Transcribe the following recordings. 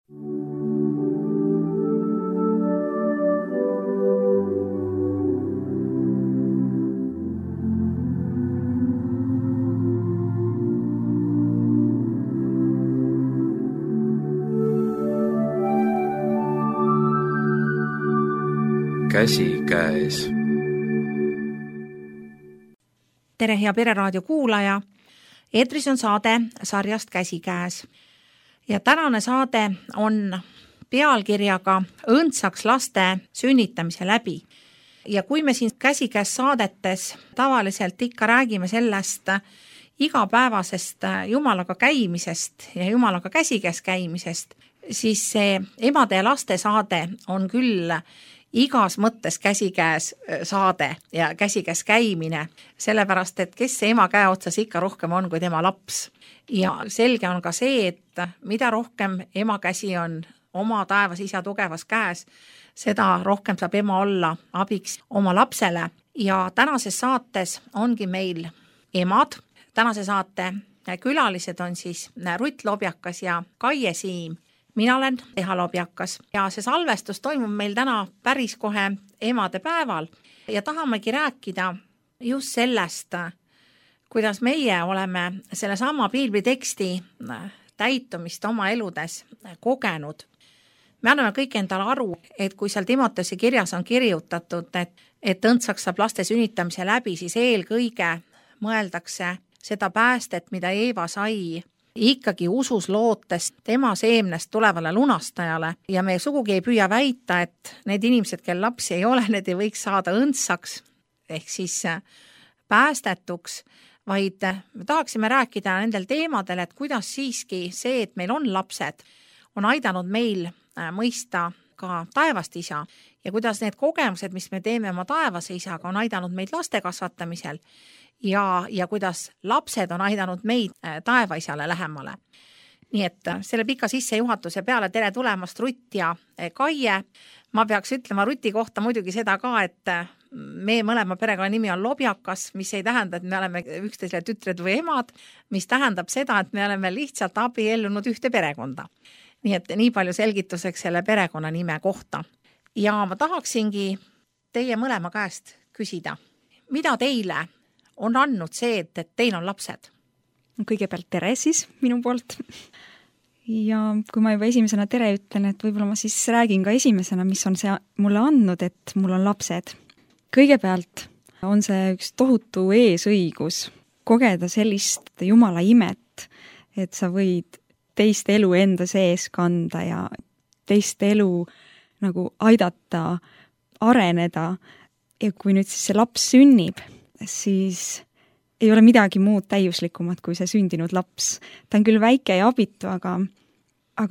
Käsikäes. Tere, hea Pereraadio kuulaja! Eetris on saade sarjast Käsikäes. Ja tänane saade on pealkirjaga Õndsaks laste sünnitamise läbi. Ja kui me siin Käsikäes saadetes tavaliselt ikka räägime sellest igapäevasest Jumalaga käimisest ja Jumalaga käsikäes käimisest, siis see emade ja laste saade on küll igas mõttes käsikäes saade ja käsikäes käimine, sellepärast, et kes see ema käe otsas ikka rohkem on kui tema laps. Ja selge on ka see, et mida rohkem ema käsi on oma taevas isa tugevas käes, seda rohkem saab ema olla abiks oma lapsele. Ja tänases saates ongi meil emad. Tänase saate külalised on siis Rutt Lobjakas ja Kaie Siim. Mina olen Eha Lobjakas ja see salvestus toimub meil täna päris kohe emade päeval ja tahamegi rääkida just sellest, kuidas meie oleme selle sama piibliteksti täitumist oma eludes kogenud. Me anname kõik endale aru, et kui seal Timoteuse kirjas on kirjutatud, et õndsaks saab laste sünnitamise läbi, siis eelkõige mõeldakse seda päästet, mida Eeva sai ikkagi usus lootes tema seemnest tulevale lunastajale ja me sugugi ei püüa väita, et need inimesed, kel lapsi ei ole, need ei võiks saada õndsaks ehk siis päästetuks, vaid me tahaksime rääkida nendel teemadel, et kuidas siiski see, et meil on lapsed, on aidanud meil mõista ka taevast isa ja kuidas need kogemused, mis me teeme oma taevase isaga, on aidanud meid laste kasvatamisel ja kuidas lapsed on aidanud meid taevaisale lähemale. Nii et selle pika sissejuhatuse peale tere tulemast Rutt ja Kaie. Ma peaks ütlema Ruti kohta muidugi seda ka, et me mõlema perekonna nimi on Lobjakas, mis ei tähenda, et me oleme üksteisele tütred või emad, mis tähendab seda, et me oleme lihtsalt abiellunud ühte perekonda. Nii et nii palju selgituseks selle perekonna nime kohta. Ja ma tahaksingi teie mõlema käest küsida, mida teile on andnud see, et teil on lapsed? Kõigepealt tere siis minu poolt. Ja kui ma juba esimesena tere ütlen, et võib-olla ma siis räägin ka esimesena, mis on see mulle andnud, et mul on lapsed. Kõigepealt on see üks tohutu eesõigus kogeda sellist Jumala imet, et sa võid teist elu enda sees kanda ja teist elu nagu aidata, areneda. Ja kui nüüd siis see laps sünnib, siis ei ole midagi muud täiuslikumat kui see sündinud laps. Ta on küll väike ja abitu, aga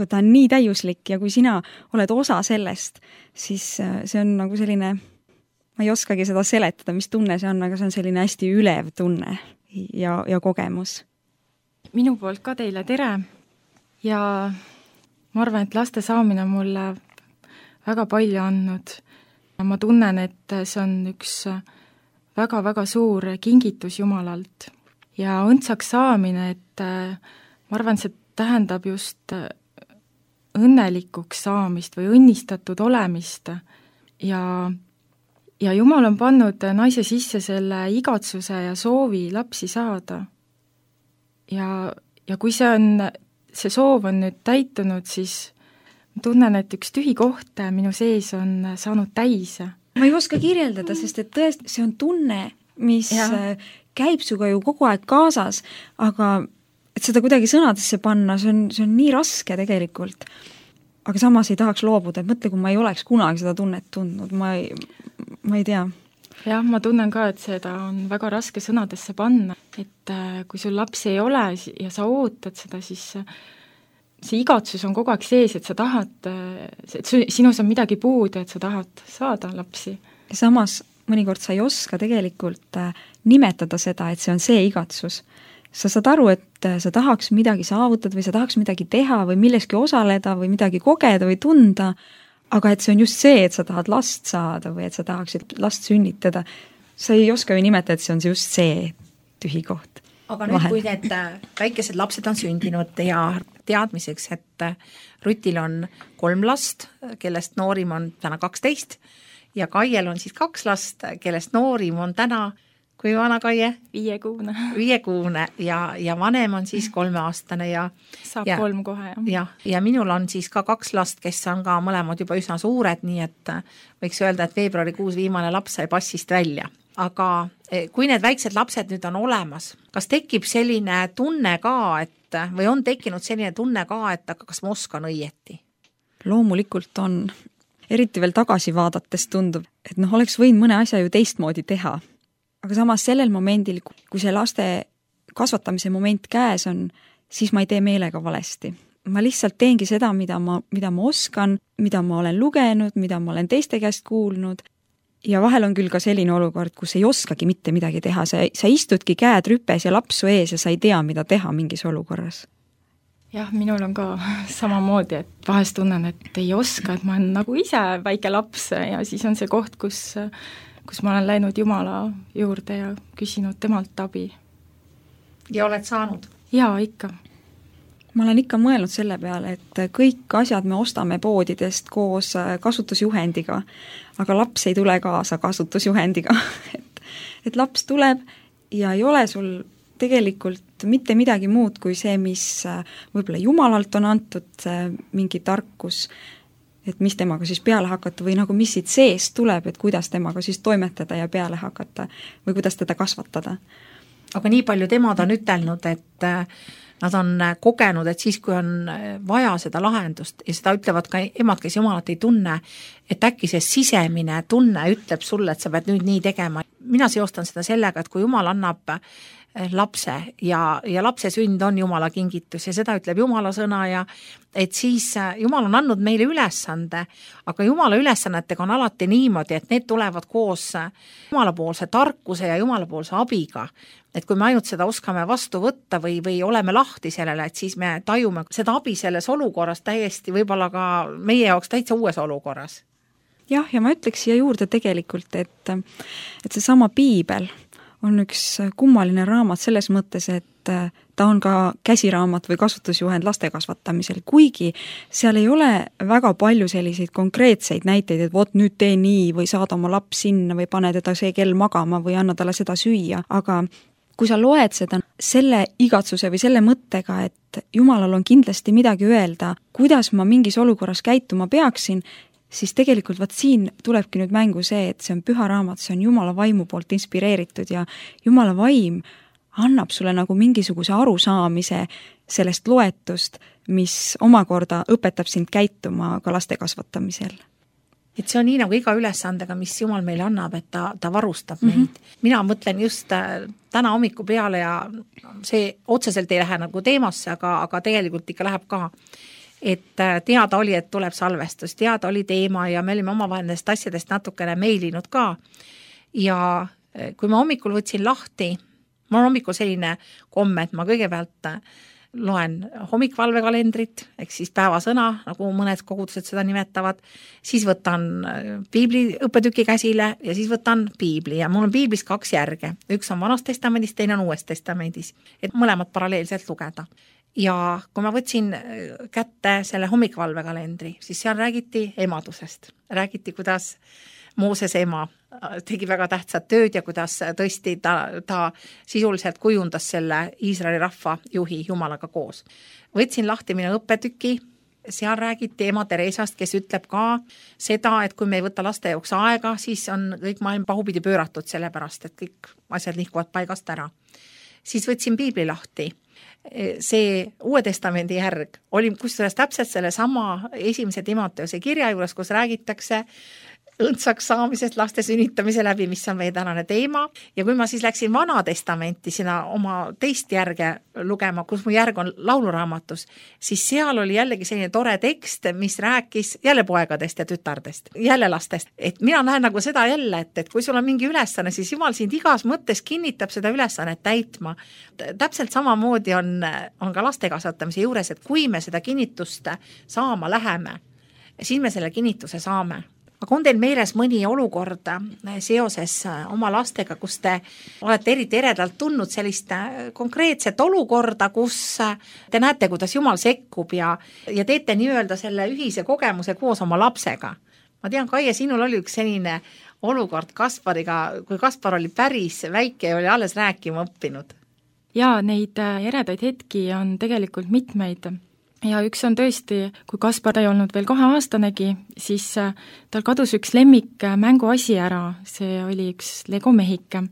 ta on nii täiuslik ja kui sina oled osa sellest, siis see on nagu selline, ma ei oskagi seda seletada, mis tunne see on, aga see on selline hästi ülev tunne ja kogemus. Minu poolt ka teile tere ja ma arvan, et laste saamine on mulle väga palju andnud. Ma tunnen, et see on üks väga-väga suur kingitus Jumalalt ja õndsaks saamine, et ma arvan, see tähendab just õnnelikuks saamist või õnnistatud olemist ja Jumal on pannud naise sisse selle igatsuse ja soovi lapsi saada. Ja kui see soov on nüüd täitunud, siis ma tunnen, et üks tühi koht minu sees on saanud täis. Ma ei oska kirjeldada, sest et tõesti see on tunne, mis käib suga ju kogu aeg kaasas, aga et seda kuidagi sõnadesse panna, see on nii raske tegelikult. Aga samas ei tahaks loobuda, et mõtle, kui ma ei oleks kunagi seda tunnet tundnud, ma ei tea. Jah, ma tunnen ka, et seda on väga raske sõnadesse panna, et kui sul lapsi ei ole ja sa ootad seda, siis see igatsus on kogu aeg sees, et sa tahad, et sinus on midagi puudu, et sa tahad saada lapsi. Ja samas mõnikord sa ei oska tegelikult nimetada seda, et see on see igatsus. Sa saad aru, et sa tahaks midagi saavutada või sa tahaks midagi teha või milleski osaleda või midagi kogeda või tunda, aga et see on just see, et sa tahad last saada või et sa tahaksid last sünnitada. Sa ei oska ju nimetada, et see on just see tühi koht. aga nüüd, kui need väikesed lapsed on sündinud ja teadmiseks, et Rutil on 3 last, kellest noorim on täna 12 ja Kaiel on siis 2 last, kellest noorim on täna, kui vana Kaie? 5-kuune. 5-kuune ja vanem on siis 3-aastane ja saab 3 kohe, jah. Ja minul on siis ka 2 last, kes on ka mõlemad juba üsna suured, nii et võiks öelda, et veebruarikuus viimane laps sai passist välja. Aga kui need väiksed lapsed nüüd on olemas, kas tekib selline tunne ka, et või on tekkinud selline tunne ka, et aga kas ma oskan õieti? Loomulikult on. Eriti veel tagasi vaadates tundub, et oleks võinud mõne asja ju teistmoodi teha. Aga samas sellel momendil, kui see laste kasvatamise moment käes on, siis ma ei tee meelega valesti. Ma lihtsalt teengi seda, mida ma oskan, mida ma olen lugenud, mida ma olen teiste käest kuulnud. Ja vahel on küll ka selline olukord, kus ei oskagi mitte midagi teha. Sa istudki käed rüpes ja lapsu ees ja sa ei tea, mida teha mingis olukorras. Jah, minul on ka samamoodi, et vahest tunnen, et ei oska, et ma olen nagu ise väike laps ja siis on see koht, kus ma olen läinud Jumala juurde ja küsinud temalt abi. Ja oled saanud? Jaa, ikka. Ma olen ikka mõelnud selle peale, et kõik asjad me ostame poodidest koos kasutusjuhendiga, aga laps ei tule kaasa kasutusjuhendiga. et laps tuleb ja ei ole sul tegelikult mitte midagi muud kui see, mis võib-olla Jumalalt on antud mingi tarkus, et mis temaga siis peale hakata või nagu mis siit seest tuleb, et kuidas temaga siis toimetada ja peale hakata või kuidas teda kasvatada. Aga nii palju temad on ütelnud, et nad on kogenud, et siis, kui on vaja seda lahendust ja seda ütlevad ka emad, kes Jumalat ei tunne, et äkki see sisemine tunne ütleb sulle, et sa pead nüüd nii tegema. Mina seostan seda sellega, et kui Jumal annab lapse ja lapse sünd on Jumala kingitus ja seda ütleb Jumala sõna ja et siis Jumal on andnud meile ülesande, aga Jumala ülesannetega on alati niimoodi, et need tulevad koos Jumalapoolse tarkuse ja Jumalapoolse abiga. Et kui me ainult seda oskame vastu võtta või oleme lahti sellele, et siis me tajume seda abi selles olukorras täiesti võib-olla ka meie jaoks täitsa uues olukorras. Jah, ja ma ütleks siia juurde tegelikult, et seesama Piibel on üks kummaline raamat selles mõttes, et ta on ka käsiraamat või kasutusjuhend laste kasvatamisel, kuigi seal ei ole väga palju selliseid konkreetseid näiteid, et vot nüüd tee nii või saada oma laps sinna või pane teda see kell magama või anna talle seda süüa, aga kui sa loed seda selle igatsuse või selle mõttega, et Jumalal on kindlasti midagi öelda, kuidas ma mingis olukorras käituma peaksin, siis tegelikult siin tulebki nüüd mängu see, et see on püha raamat, see on Jumala vaimu poolt inspireeritud ja Jumala vaim annab sulle nagu mingisuguse arusaamise sellest loetust, mis omakorda õpetab sind käituma ka laste kasvatamisel. Et see on nii nagu iga ülesandega, mis Jumal meile annab, et ta varustab meid. Mina mõtlen just täna hommiku peale ja see otseselt ei lähe nagu teemasse, aga tegelikult ikka läheb ka. Et teada oli, et tuleb salvestus, teada oli teema ja me olime omavahel nendest asjadest natukene meilinud ka. Ja kui ma hommikul võtsin lahti, mul on hommikul selline komme, et ma kõigepealt loen hommikvalvekalendrit, ehk siis päevasõna, nagu mõned kogudused seda nimetavad, siis võtan piibli õppetüki käsile ja siis võtan piibli ja mul on piiblis 2 järge. Üks on Vanas testamendis, teine on Uues testamendis, et mõlemad paralleelselt lugeda. Ja kui ma võtsin kätte selle hommikvalvekalendri, siis seal räägiti emadusest. Räägiti, kuidas Mooses ema tegi väga tähtsat tööd ja kuidas tõesti ta sisuliselt kujundas selle Iisraeli rahva juhi Jumalaga koos. Võtsin lahti minu õppetüki, seal räägiti ema Teresast, kes ütleb ka seda, et kui me ei võta laste jaoks aega, siis on kõik maailm pahupidi pööratud sellepärast, et kõik asjad nihkuvad paigast ära. Siis võtsin piibli lahti. See Uue testamendi järg oli kusjuures täpselt selle sama 1. Timoteuse kirja juures, kus räägitakse õndsaks saamisest laste sünnitamise läbi, mis on meie tänane teema. Ja kui ma siis läksin Vana testamenti sinna oma teist järge lugema, kus mu järg on lauluraamatus, siis seal oli jällegi selline tore tekst, mis rääkis jälle poegadest ja tütardest, jälle lastest. Et mina näen nagu seda jälle, et kui sul on mingi ülesanne, siis Jumal sind igas mõttes kinnitab seda ülesannet täitma. Täpselt samamoodi on ka laste kasvatamise juures, et kui me seda kinnitust saama läheme, siis me selle kinnituse saame. aga on teil meeles mõni olukord seoses oma lastega, kus te olete eriti eredalt tundnud sellist konkreetset olukorda, kus te näete, kuidas Jumal sekkub ja teete nii-öelda selle ühise kogemuse koos oma lapsega? Ma tean, Kaie, sinul oli üks selline olukord Kaspariga, kui Kaspar oli päris väike ja oli alles rääkima õppinud. Jaa, neid eredaid hetki on tegelikult mitmeid. Ja üks on tõesti, kui Kaspar ei olnud veel 2-aastanegi, siis tal kadus üks lemmik mänguasi ära, see oli üks Lego mehike.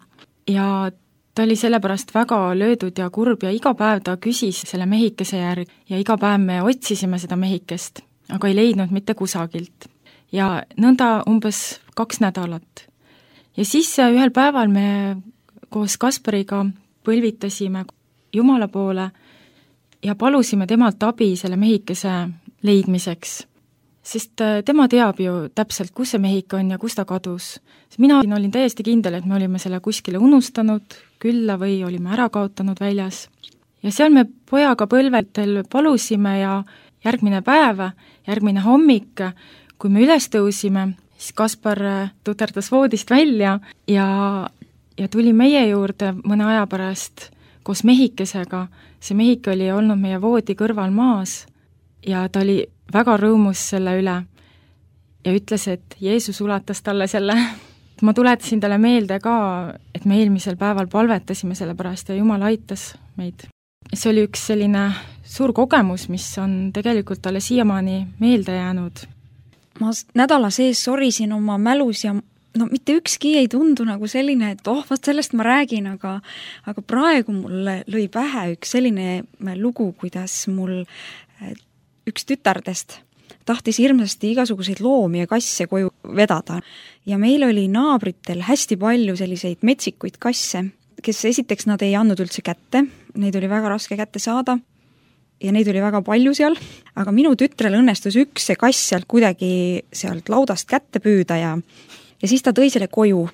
Ja ta oli sellepärast väga löödud ja kurb ja iga päev ta küsis selle mehikese järg ja iga päev me otsisime seda mehikest, aga ei leidnud mitte kusagilt. Ja nõnda umbes 2 nädalat. Ja siis ühel päeval me koos Kaspariga põlvitasime Jumala poole ja palusime temalt abi selle mehikese leidmiseks. Sest tema teab ju täpselt, kus see mehike on ja kus ta kadus. Mina olin täiesti kindel, et me olime selle kuskile unustanud külla või olime ära kaotanud väljas. Ja seal me pojaga põlvetel palusime ja järgmine päev, järgmine hommik, kui me üles tõusime, siis Kaspar tuterdas voodist välja ja tuli meie juurde mõne aja pärast koos mehikesega. See mehike oli olnud meie voodi kõrval maas ja ta oli väga rõõmus selle üle ja ütles, et Jeesus ulatas talle selle. Ma tuletasin talle meelde ka, et me eelmisel päeval palvetasime selle pärast ja Jumal aitas meid. See oli üks selline suur kogemus, mis on tegelikult talle siiamaani meelde jäänud. Ma nädala sees sorisin oma mälus ja mitte ükski ei tundu nagu selline, et vast sellest ma räägin, aga praegu mulle lõi pähe üks selline lugu, kuidas mul üks tütardest tahtis hirmsasti igasuguseid loomi ja kasse koju vedada. Ja meil oli naabritel hästi palju selliseid metsikuid kasse, kes esiteks nad ei andnud üldse kätte, neid oli väga raske kätte saada ja neid oli väga palju seal, aga minu tütrel õnnestus üks see kass sealt kuidagi sealt laudast kätte püüda ja siis ta tõi selle koju.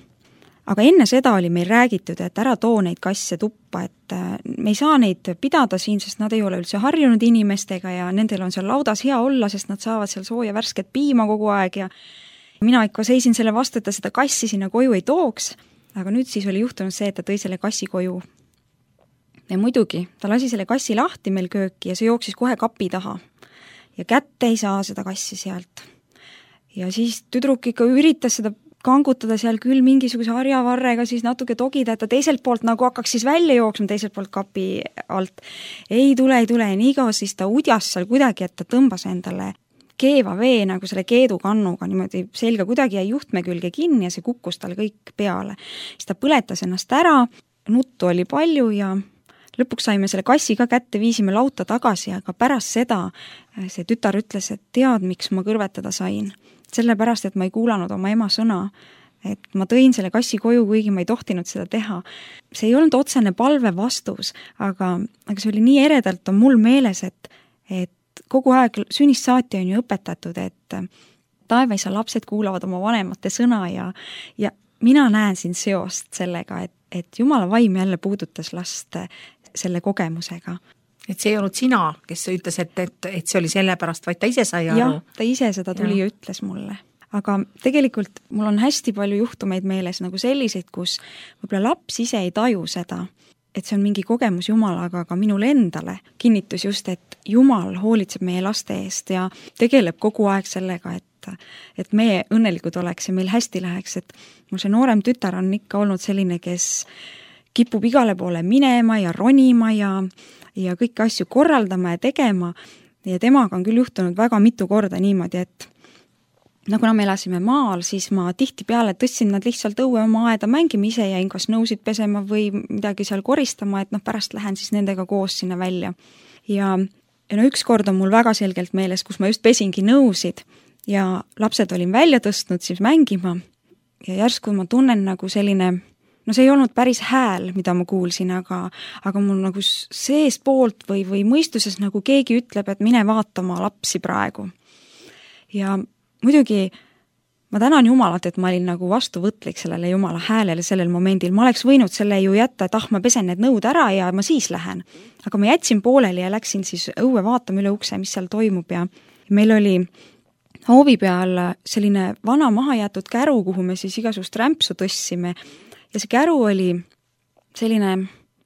Aga enne seda oli meil räägitud, et ära too neid kasse tuppa, et me ei saa neid pidada siin, sest nad ei ole üldse harjunud inimestega ja nendel on seal laudas hea olla, sest nad saavad seal sooja värsket piima kogu aeg ja mina ikka seisin selle vastu, et ta seda kassi sinna koju ei tooks, aga nüüd siis oli juhtunud see, et ta tõi selle kassi koju. Ja muidugi, ta lasi selle kassi lahti meil kööki ja see jooksis kohe kapi taha ja kätte ei saa seda kassi sealt. Ja siis tüdruk ikka üritas seda kangutada seal küll mingisuguse harjavarrega, siis natuke togida, et ta teiselt poolt nagu hakkaks siis välja jooksma teiselt poolt kapi alt. Ei tule, nii kaua siis ta udjas seal kuidagi, et ta tõmbas endale keeva vee nagu selle keedukannuga, niimoodi selga kuidagi jäi juhtme külge kinni ja see kukkus tal kõik peale. Siis ta põletas ennast ära, nuttu oli palju ja lõpuks saime selle kassi ka kätte, viisime lauta tagasi, aga pärast seda see tütar ütles, et tead, miks ma kõrvetada sain. Sellepärast, et ma ei kuulanud oma ema sõna, et ma tõin selle kassi koju, kuigi ma ei tohtinud seda teha. See ei olnud otsene palve vastus, aga see oli nii eredalt on mul meeles, et kogu aeg sünnist saati on ju õpetatud, et taevaisa lapsed kuulavad oma vanemate sõna ja mina näen siin seost sellega, et Jumala vaim jälle puudutas last selle kogemusega. Et see ei olnud sina, kes ütles, et see oli selle pärast, vaid ta ise sai aru. Jah, ta ise seda tuli ja ütles mulle. Aga tegelikult mul on hästi palju juhtumeid meeles nagu selliseid, kus võib-olla laps ise ei taju seda, et see on mingi kogemus Jumalaga, aga minule endale kinnitus just, et Jumal hoolitseb meie laste eest ja tegeleb kogu aeg sellega, et meie õnnelikud oleks ja meil hästi läheks, et mul see noorem tütar on ikka olnud selline, kes kipub igale poole minema ja ronima ja kõiki asju korraldama ja tegema ja temaga on küll juhtunud väga mitu korda niimoodi, et kuna me elasime maal, siis ma tihtipeale tõstsin nad lihtsalt õue oma aeda mängima ise ja kas nõusid pesema või midagi seal koristama, et pärast lähen siis nendega koos sinna välja. Ja üks kord on mul väga selgelt meeles, kus ma just pesingi nõusid ja lapsed olin välja tõstnud siis mängima ja järsku ma tunnen nagu selline see ei olnud päris hääl, mida ma kuulsin, aga mul nagu seest poolt või mõistuses nagu keegi ütleb, et mine vaatama lapsi praegu. Ja muidugi ma tänan Jumalat, et ma olin nagu vastuvõtlik sellele Jumala häälele sellel momendil. Ma oleks võinud selle ju jätta, et ma pesen need nõud ära ja ma siis lähen. Aga ma jätsin pooleli ja läksin siis õue vaatama üle ukse, mis seal toimub ja meil oli hoovi peal selline vana mahajäetud käru, kuhu me siis igasugust rämpsu tõstsime ja see käru oli selline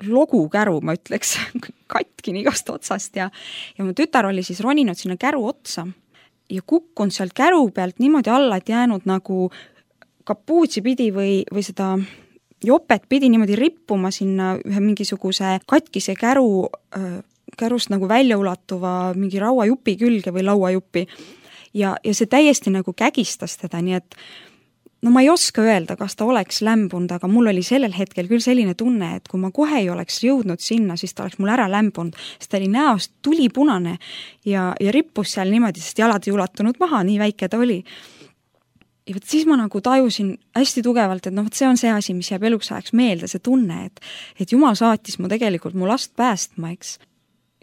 logukäru, ma ütleks, katkini igast otsast ja mu tütar oli siis roninud sinna käru otsa ja kukkunud sealt käru pealt niimoodi alla, et jäänud nagu kapuutsi pidi või seda jopet pidi niimoodi rippuma sinna ühe mingisuguse katkise kärust nagu välja ulatuva mingi rauajupi külge või lauajupi. Ja see täiesti nagu kägistas teda, nii et no ma ei oska öelda, kas ta oleks lämbunud, aga mul oli sellel hetkel küll selline tunne, et kui ma kohe ei oleks jõudnud sinna, siis ta oleks mul ära lämbunud, sest ta oli näost tulipunane ja rippus seal niimoodi, sest jalad ei ulatunud maha, nii väike ta oli. Ja võt siis ma nagu tajusin hästi tugevalt, et see on see asi, mis jääb eluks ajaks meelde, see tunne, et Jumal saatis mu tegelikult mu last päästma, eks.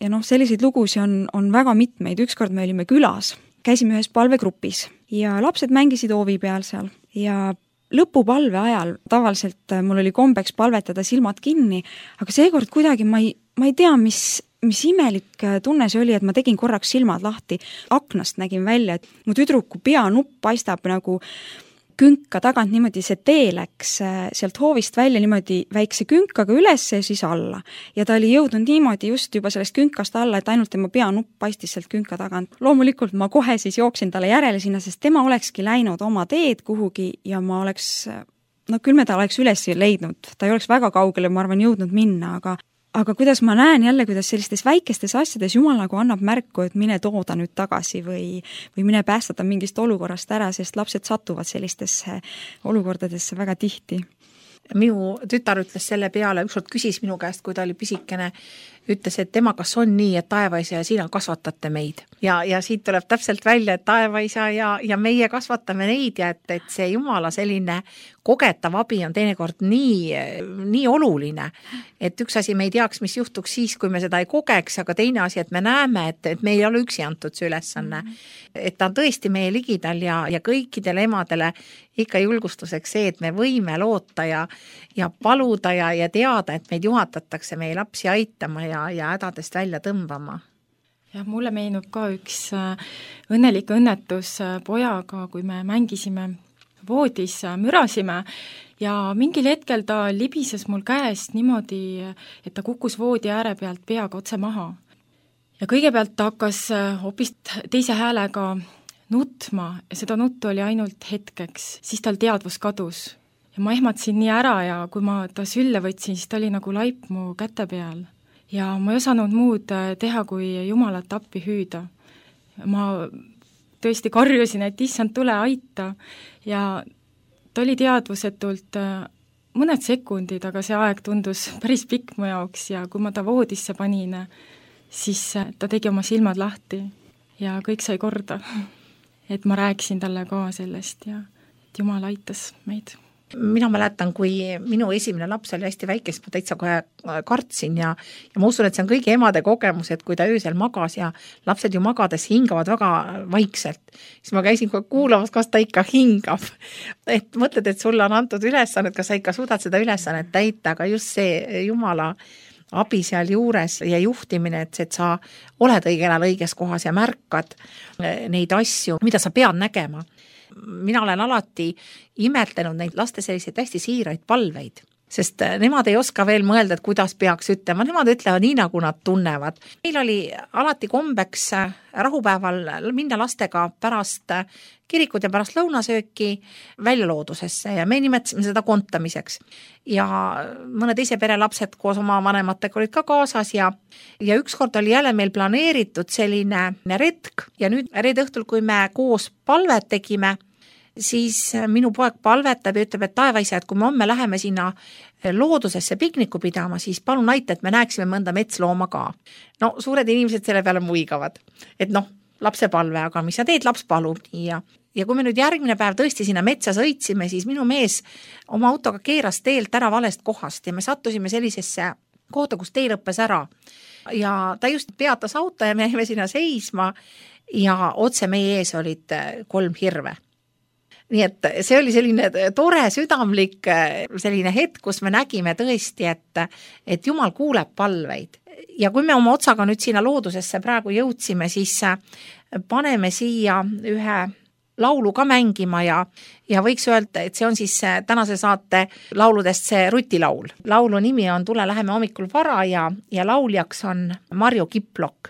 Ja selliseid lugusi on väga mitmeid, ükskord me olime külas, käisime ühes palvegrupis ja lapsed mängisid hoovi peal seal ja lõpupalve ajal tavaliselt mul oli kombeks palvetada silmad kinni, aga seekord kuidagi ma ei tea, mis imelik tunne see oli, et ma tegin korraks silmad lahti, aknast nägin välja, et mu tüdruku peanupp paistab nagu künka tagant niimoodi, see tee läks sealt hoovist välja niimoodi väikse künkaga üles ja siis alla. Ja ta oli jõudnud niimoodi just juba sellest künkast alla, et ainult tema peanupp paistis sealt künka tagant. Loomulikult ma kohe siis jooksin talle järele sinna, sest tema olekski läinud oma teed kuhugi ja ma oleks, küll me ta oleks üles leidnud. Ta ei oleks väga kaugele, ma arvan, jõudnud minna, aga kuidas ma näen jälle, kuidas sellistes väikestes asjades Jumal nagu annab märku, et mine tooda nüüd tagasi või mine päästada mingist olukorrast ära, sest lapsed satuvad sellistesse olukordadesse väga tihti. Minu tütar ütles selle peale, ükskord küsis minu käest, kui ta oli pisikene, ütles, et tema, kas on nii, et taevaisa ja sina kasvatate meid. Ja siit tuleb täpselt välja, et taevaisa ja meie kasvatame neid ja et see Jumala selline kogetav abi on teinekord nii oluline, et üks asi me ei teaks, mis juhtuks siis, kui me seda ei kogeks, aga teine asi, et me näeme, et me ei ole üksi antud see ülesanne. Et ta on tõesti meie ligidal ja kõikidele emadele ikka julgustuseks see, et me võime loota ja paluda ja teada, et meid juhatatakse meie lapsi aitama ja hädadest välja tõmbama. Ja mulle meenub ka üks õnnelik õnnetus pojaga, kui me mängisime voodis, mürasime ja mingil hetkel ta libises mul käest niimoodi, et ta kukkus voodi ääre pealt peaga otse maha. Ja kõigepealt ta hakkas hoopis teise häälega nutma ja seda nuttu oli ainult hetkeks, siis tal teadvus kadus. Ja ma ehmatasin nii ära ja kui ma ta sülle võtsin, siis ta oli nagu laip mu käte peal. Ja ma ei osanud muud teha, kui Jumalat appi hüüda. Ma tõesti karjusin, et issand, tule aita ja ta oli teadvusetult mõned sekundid, aga see aeg tundus päris pikk mu jaoks ja kui ma ta voodisse panin, siis ta tegi oma silmad lahti ja kõik sai korda. Et ma rääkisin talle ka sellest ja et Jumal aitas meid. Mina mäletan, kui minu esimene laps oli hästi väike, siis ma täitsa kohe kartsin ja ma usun, et see on kõigi emade kogemus, et kui ta öösel magas ja lapsed ju magades hingavad väga vaikselt, siis ma käisin kohe kuulamas, kas ta ikka hingab. Et mõtled, et sulle on antud ülesannet, kas sa ikka suudad seda ülesannet täita, aga just see Jumala abi seal juures ja juhtimine, et sa oled õigel ajal õiges kohas ja märkad neid asju, mida sa pead nägema. Mina olen alati imetlenud neid laste selliseid hästi siiraid palveid, sest nemad ei oska veel mõelda, et kuidas peaks ütlema, nemad ütlevad nii, nagu nad tunnevad. Meil oli alati kombeks rahupäeval minna lastega pärast kirikut ja pärast lõunasööki välja loodusesse ja me nimetasime seda kontamiseks. Ja mõne teise pere lapsed koos oma vanematega olid ka kaasas ja ükskord oli jälle meil planeeritud selline retk ja nüüd reede õhtul, kui me koos palvet tegime, siis minu poeg palvetab ja ütleb, et taevaisa, et kui me homme läheme sinna loodusesse pikniku pidama, siis palun aita, et me näeksime mõnda metslooma ka. No suured inimesed selle peale muigavad, et lapse palve, aga mis sa teed, laps palub nii ja kui me nüüd järgmine päev tõesti sinna metsa sõitsime, siis minu mees oma autoga keeras teelt ära valest kohast ja me sattusime sellisesse kohta, kus tee lõppes ära ja ta just peatas auto ja me jäime sinna seisma ja otse meie ees olid 3 hirve. Nii et see oli selline tore südamlik selline hetk, kus me nägime tõesti, et Jumal kuuleb palveid. Ja kui me oma otsaga nüüd sinna loodusesse praegu jõudsime, siis paneme siia ühe laulu ka mängima ja võiks öelda, et see on siis tänase saate lauludest see rutilaul. Laulu nimi on Tule läheme hommikul vara ja lauljaks on Marju Kiplok.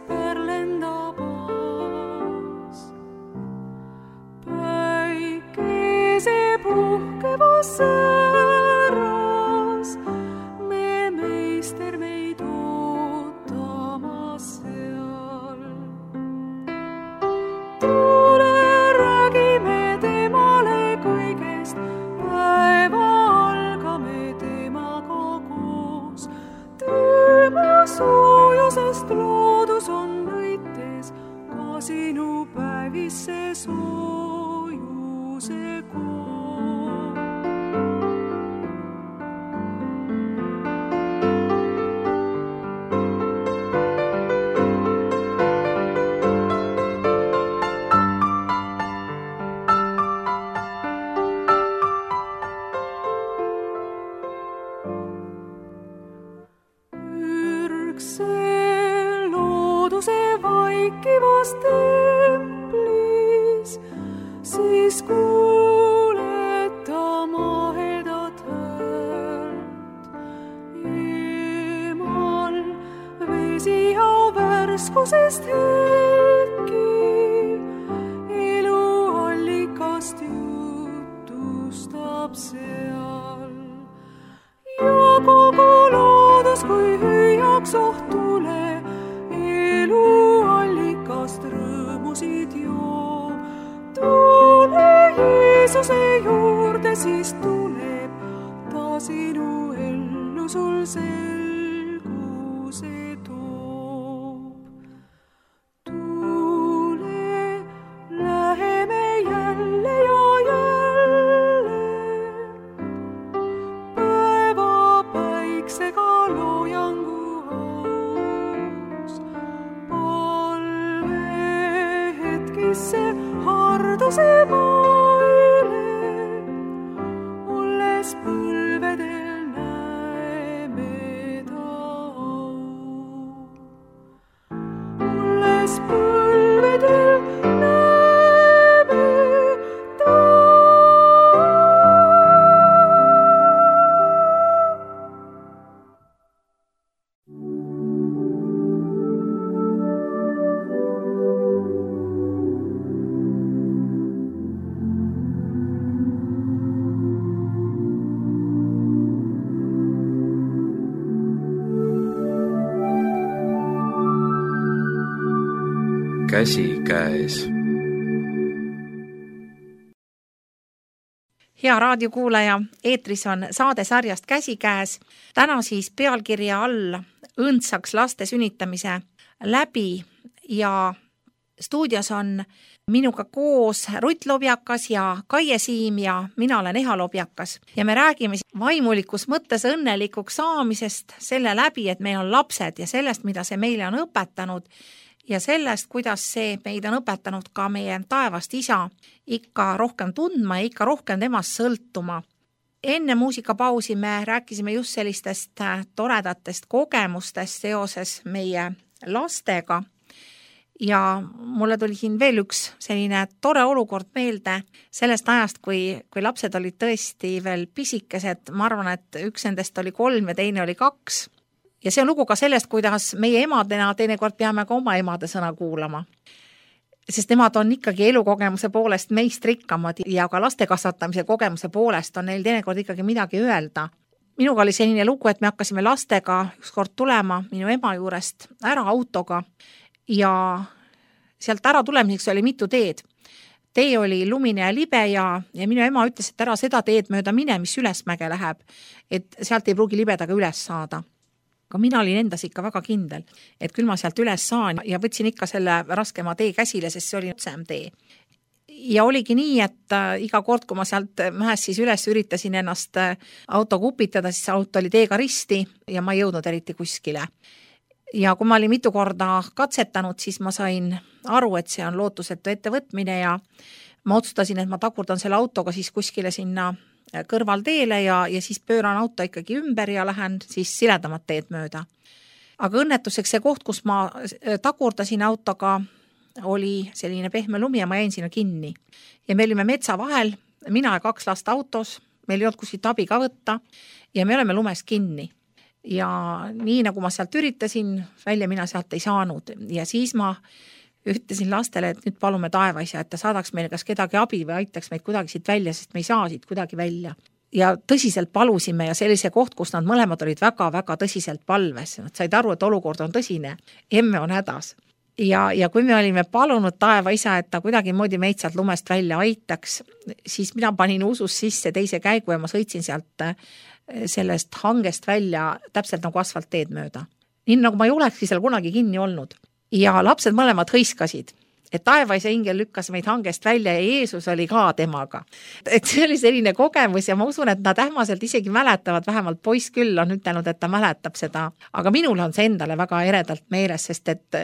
Perlendab aas. Päikese puhkevas säras me meister meid ootamas seal. Tule räägime temale kõigest, päeva algame temaga koos. Tema soojusest loodus on nõites, ka sinu päevisse soojuse kood. Vaikivas templis, siis kuuled ta mahedat häält. Eemal vesihau värskusest hetki, eluallikast jutustab seal. Ja kogu loodus, kui hüüaks ohtule, eluallikast rõõmusid joo. Tule Jeesuse juurde, siis tuleb ta sinu ellu sul selguse toob. Tule, läheme jälle ja jälle, päeva päiksega loojangu harduse maile, olles põlvedel näeme ta au. Olles põlvedel näeme ta au. Käsikäes. Hea raadiokuulaja, eetris on saade sarjast Käsikäes. Täna siis pealkirja all õndsaks laste sünnitamise läbi ja stuudios on minuga koos Rutt Lobjakas ja Kaie Siim ja mina olen Eha Lobjakas. Ja me räägime vaimulikus mõttes õnnelikuks saamisest selle läbi, et meil on lapsed ja sellest, mida see meile on õpetanud ja sellest, kuidas see meid on õpetanud ka meie taevast isa ikka rohkem tundma ja ikka rohkem temast sõltuma. Enne muusikapausi me rääkisime just sellistest toredatest kogemustest seoses meie lastega ja mulle tuli siin veel üks selline tore olukord meelde sellest ajast, kui lapsed olid tõesti veel pisikesed. Ma arvan, et üks nendest oli 3 ja teine oli 2. Ja see on lugu ka sellest, kuidas meie emadena teinekord peame ka oma emade sõna kuulama. Sest nemad on ikkagi elukogemuse poolest meist rikkamad ja ka laste kasvatamise kogemuse poolest on neil teinekord ikkagi midagi öelda. Minuga oli selline lugu, et me hakkasime lastega ükskord tulema minu ema juurest ära autoga ja sealt ära tulemiseks oli mitu teed. Tee oli lumine ja libe ja minu ema ütles, et ära seda teed mööda mine, mis ülesmäge läheb, et sealt ei pruugi libedaga üles saada. Aga mina olin endas ikka väga kindel, et küll ma sealt üles saan ja võtsin ikka selle raskema tee käsile, sest see oli otsem tee. Ja oligi nii, et iga kord, kui ma sealt mäest siis üles üritasin ennast autoga upitada, siis auto oli teega risti ja ma ei jõudnud eriti kuskile. ja kui ma olin mitu korda katsetanud, siis ma sain aru, et see on lootusetu ettevõtmine ja ma otsustasin, et ma tagurdan selle autoga siis kuskile sinna kõrvalteele ja siis pööran auto ikkagi ümber ja lähen siis siledamat teed mööda. Aga õnnetuseks see koht, kus ma tagurdasin autoga, oli selline pehme lumi ja ma jäin sinna kinni. Ja me olime metsa vahel, mina ja 2 last autos, meil ei olnud kuskilt abi ka võtta ja me oleme lumes kinni. Ja nii nagu ma sealt üritasin, välja mina sealt ei saanud ja siis ma ütlesin lastele, et nüüd palume taevaisa, et ta saadaks meile kas kedagi abi või aitaks meid kuidagi siit välja, sest me ei saa siit kuidagi välja. Ja tõsiselt palusime ja sellise koht, kus nad mõlemad olid väga-väga tõsiselt palves. Nad said aru, et olukord on tõsine, emme on hädas. Ja kui me olime palunud taevaisa, et ta kuidagi moodi meid sealt lumest välja aitaks, siis mina panin usus sisse teise käigu ja ma sõitsin sealt sellest hangest välja täpselt nagu asfaltteed mööda. Nii nagu ma ei olekski seal kunagi kinni olnud. Ja lapsed mõlemad hõiskasid, et taevaisa ingel lükkas meid hangest välja ja Jeesus oli ka temaga. Et see oli selline kogemus ja ma usun, et nad ähmaselt isegi mäletavad, vähemalt poiss küll on ütelnud, et ta mäletab seda. Aga minul on see endale väga eredalt meeles, sest et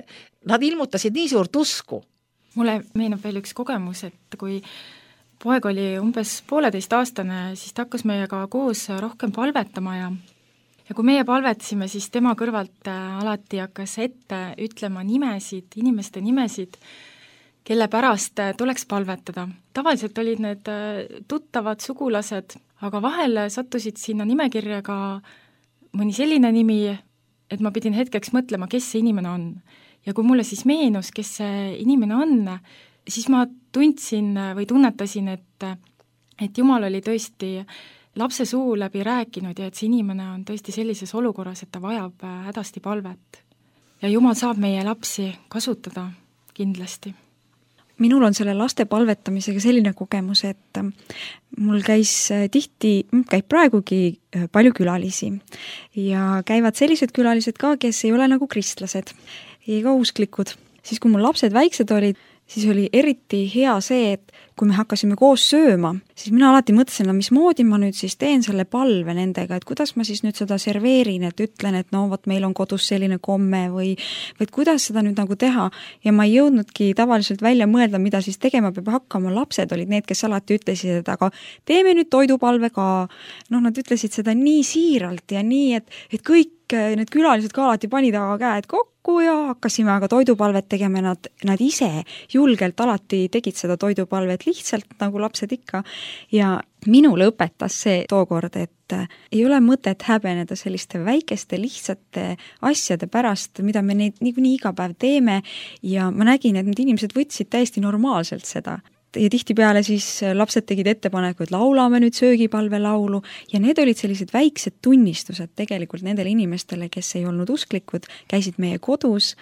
nad ilmutasid nii suurt usku. Mulle meenub veel üks kogemus, et kui poeg oli umbes 1,5-aastane, siis ta hakkas meiega koos rohkem palvetama ja kui meie palvetasime, siis tema kõrvalt alati hakkas ette ütlema nimesid, inimeste nimesid, kelle pärast tuleks palvetada. Tavaliselt olid need tuttavad sugulased, aga vahel sattusid sinna nimekirja ka mõni selline nimi, et ma pidin hetkeks mõtlema, kes see inimene on. Ja kui mulle siis meenus, kes see inimene on, siis ma tundsin või tunnetasin, et Jumal oli tõesti lapse suu läbi rääkinud ja et see inimene on tõesti sellises olukorras, et ta vajab hädasti palvet. Ja Jumal saab meie lapsi kasutada kindlasti. Minul on selle laste palvetamisega selline kogemus, et mul käib praegugi palju külalisi ja käivad sellised külalised ka, kes ei ole nagu kristlased ega usklikud. Siis kui mul lapsed väiksed olid, siis oli eriti hea see, et kui me hakkasime koos sööma, siis mina alati mõtlesin, mismoodi ma nüüd siis teen selle palve nendega, et kuidas ma siis nüüd seda serveerin, et ütlen, et no vot meil on kodus selline komme või kuidas seda nüüd nagu teha. Ja ma ei jõudnudki tavaliselt välja mõelda, mida siis tegema peab hakkama. Lapsed olid need, kes alati ütlesid, et aga teeme nüüd toidupalve ka. Nad ütlesid seda nii siiralt ja nii, et kõik need külalised ka alati panid aga käed kokku ja hakkasime aga toidupalvet tegema. Nad ise julgelt alati tegid seda toidupalvet lihtsalt nagu lapsed ikka. Ja minule õpetas see tookord, et ei ole mõtet häbeneda selliste väikeste lihtsate asjade pärast, mida me neid niikuinii iga päev teeme ja ma nägin, et need inimesed võtsid täiesti normaalselt seda. Ja tihtipeale siis lapsed tegid ettepaneku, et laulame nüüd söögipalve laulu ja need olid sellised väiksed tunnistused tegelikult nendele inimestele, kes ei olnud usklikud, käisid meie kodus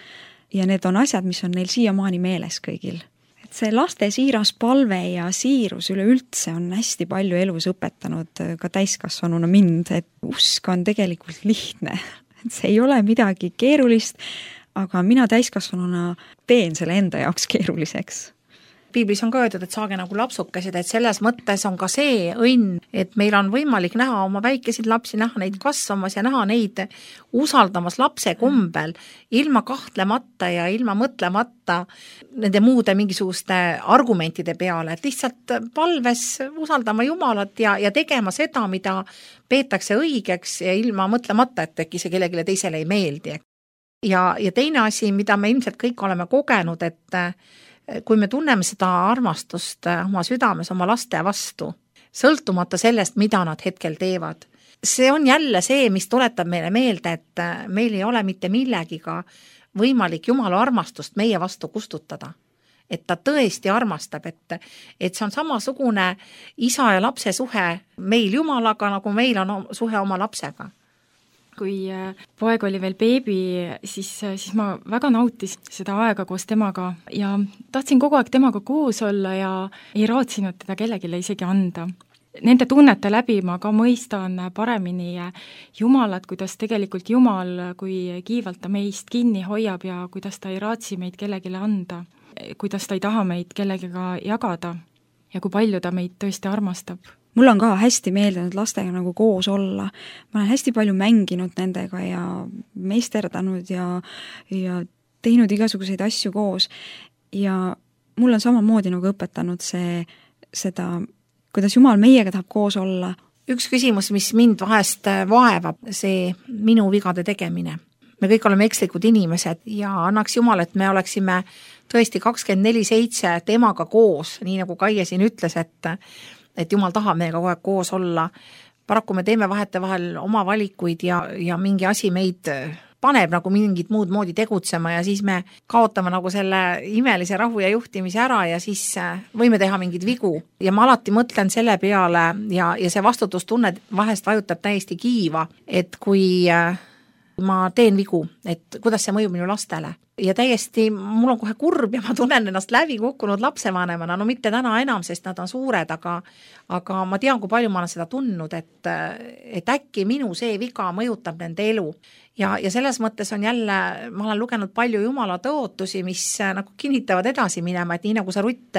ja need on asjad, mis on neil siiamaani meeles kõigil. Et see laste siiras palve ja siirus üleüldse on hästi palju elus õpetanud ka täiskasvanuna mind, et usk on tegelikult lihtne. Et see ei ole midagi keerulist, aga mina täiskasvanuna teen selle enda jaoks keeruliseks. Piiblis on ka öeldud, et saage nagu lapsukesed, et selles mõttes on ka see õnn, et meil on võimalik näha oma väikesid lapsi, näha neid kasvamas ja näha neid usaldamas lapse kombel, ilma kahtlemata ja ilma mõtlemata nende muude mingisuguste argumentide peale, et lihtsalt palves usaldama Jumalat ja tegema seda, mida peetakse õigeks ja ilma mõtlemata, et äkki see kellelegi teisele ei meeldi. Ja teine asi, mida me ilmselt kõik oleme kogenud, et kui me tunneme seda armastust oma südames oma laste vastu, sõltumata sellest, mida nad hetkel teevad. See on jälle see, mis tuletab meile meelde, et meil ei ole mitte millegiga võimalik Jumala armastust meie vastu kustutada. Et ta tõesti armastab, et see on samasugune isa ja lapse suhe meil Jumalaga, nagu meil on suhe oma lapsega. Kui poeg oli veel beebi, siis ma väga nautisin seda aega koos temaga ja tahtsin kogu aeg temaga koos olla ja ei raatsinud teda kellegile isegi anda. Nende tunnete läbi ma ka mõistan paremini Jumalat, kuidas tegelikult Jumal, kui kiivalt ta meist kinni hoiab ja kuidas ta ei raatsi meid kellegile anda, kuidas ta ei taha meid kellegiga jagada ja kui palju ta meid tõesti armastab. mul on ka hästi meeldinud lastega nagu koos olla. Ma olen hästi palju mänginud nendega ja meisterdanud ja teinud igasuguseid asju koos. Ja mul on samamoodi nagu õpetanud seda, kuidas Jumal meiega tahab koos olla. Üks küsimus, mis mind vahest vaevab, see minu vigade tegemine. Me kõik oleme ekslikud inimesed ja annaks Jumal, et me oleksime tõesti 24/7 temaga koos, nii nagu Kaie siin ütles, et Jumal tahab meiega kogu aeg koos olla. Paraku me teeme vahetevahel oma valikuid ja mingi asi meid paneb nagu mingit muud moodi tegutsema ja siis me kaotame nagu selle imelise rahu ja juhtimise ära ja siis võime teha mingeid vigu. Ja ma alati mõtlen selle peale ja see vastutustunne vahest vajutab täiesti kiiva, et kui ma teen vigu, et kuidas see mõjub minu lastele. Ja täiesti, mul on kohe kurb ja ma tunnen ennast läbi kukkunud lapsevanemana, no mitte täna enam, sest nad on suured, aga ma tean, kui palju ma olen seda tundnud, et äkki minu see viga mõjutab nende elu. Ja selles mõttes on jälle, ma olen lugenud palju Jumala tõotusi, mis nagu kinnitavad edasi minema, et nii nagu sa Rutt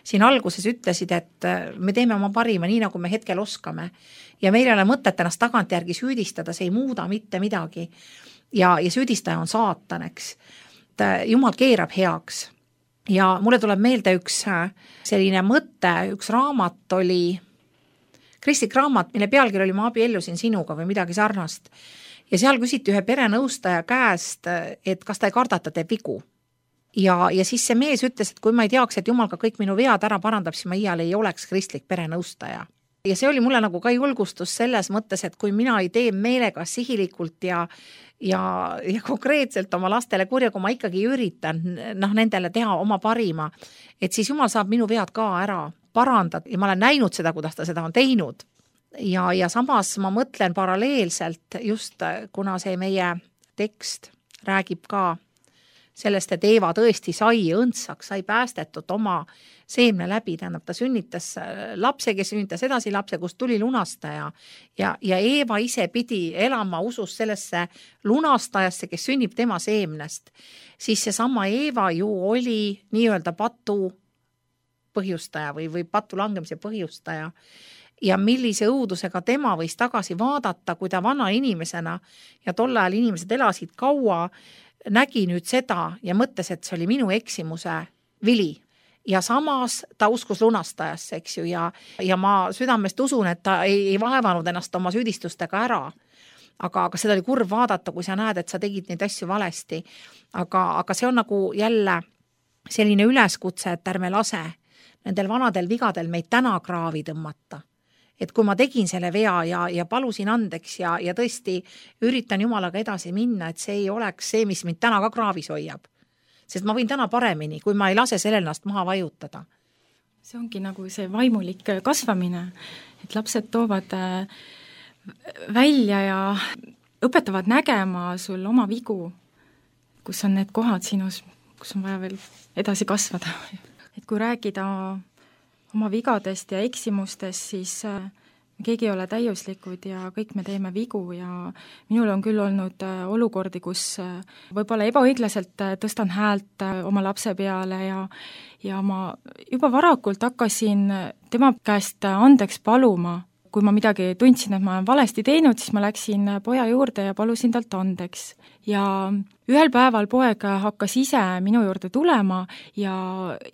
siin alguses ütlesid, et me teeme oma parima, nii nagu me hetkel oskame. Ja meil ei ole mõtet ennast tagantjärgi süüdistada, see ei muuda mitte midagi. Ja süüdistaja on saatan, eks. Jumal keerab heaks. Ja mulle tuleb meelde üks selline mõte, üks raamat oli, kristlik raamat, mille pealkiri oli Ma abiellusin sinuga või midagi sarnast. Ja seal küsiti ühe perenõustaja käest, et kas ta ei karda, ta teeb vigu. Ja siis see mees ütles, et kui ma ei teaks, et Jumal ka kõik minu vead ära parandab, siis ma iial ei oleks kristlik perenõustaja. Ja see oli mulle nagu ka julgustus selles mõttes, et kui mina ei tee meelega sihilikult ja konkreetselt oma lastele kurja, kui ma ikkagi üritan nendele teha oma parima, et siis Jumal saab minu vead ka ära parandada ja ma olen näinud seda, kuidas ta seda on teinud. Ja samas ma mõtlen paralleelselt just, kuna see meie tekst räägib ka sellest, et Eeva tõesti sai õndsaks, sai päästetud oma seemne läbi, tähendab, ta sünnitas lapse, kes sünnitas edasi lapse, kust tuli lunastaja ja Eeva ise pidi elama usus sellesse lunastajasse, kes sünnib tema seemnest, siis seesama Eeva ju oli nii-öelda patu põhjustaja või patu langemise põhjustaja ja millise õudusega tema võis tagasi vaadata, kui ta vana inimesena ja tol ajal inimesed elasid kaua, nägi nüüd seda ja mõtles, et see oli minu eksimuse vili. Ja samas ta uskus lunastajasse, eks ju, ja ma südamest usun, et ta ei vaevanud ennast oma süüdistustega ära. Aga seda oli kurb vaadata, kui sa näed, et sa tegid neid asju valesti. Aga see on nagu jälle selline üleskutse, et ärme lase nendel vanadel vigadel meid täna kraavi tõmmata. Et kui ma tegin selle vea ja palusin andeks ja tõesti üritan Jumalaga edasi minna, et see ei oleks see, mis mind täna ka kraavis hoiab. Sest ma võin täna paremini, kui ma ei lase selle ennast maha vajutada. See ongi nagu see vaimulik kasvamine, et lapsed toovad välja ja õpetavad nägema sul oma vigu, kus on need kohad sinus, kus on vaja veel edasi kasvada. Et kui rääkida oma vigadest ja eksimustest, siis keegi ei ole täiuslikud ja kõik me teeme vigu ja minul on küll olnud olukordi, kus võib-olla ebaõiglaselt tõstan häält oma lapse peale ja ma juba varakult hakkasin tema käest andeks paluma. Kui ma midagi tundsin, et ma olen valesti teinud, siis ma läksin poja juurde ja palusin talt andeks. Ja ühel päeval poeg hakkas ise minu juurde tulema ja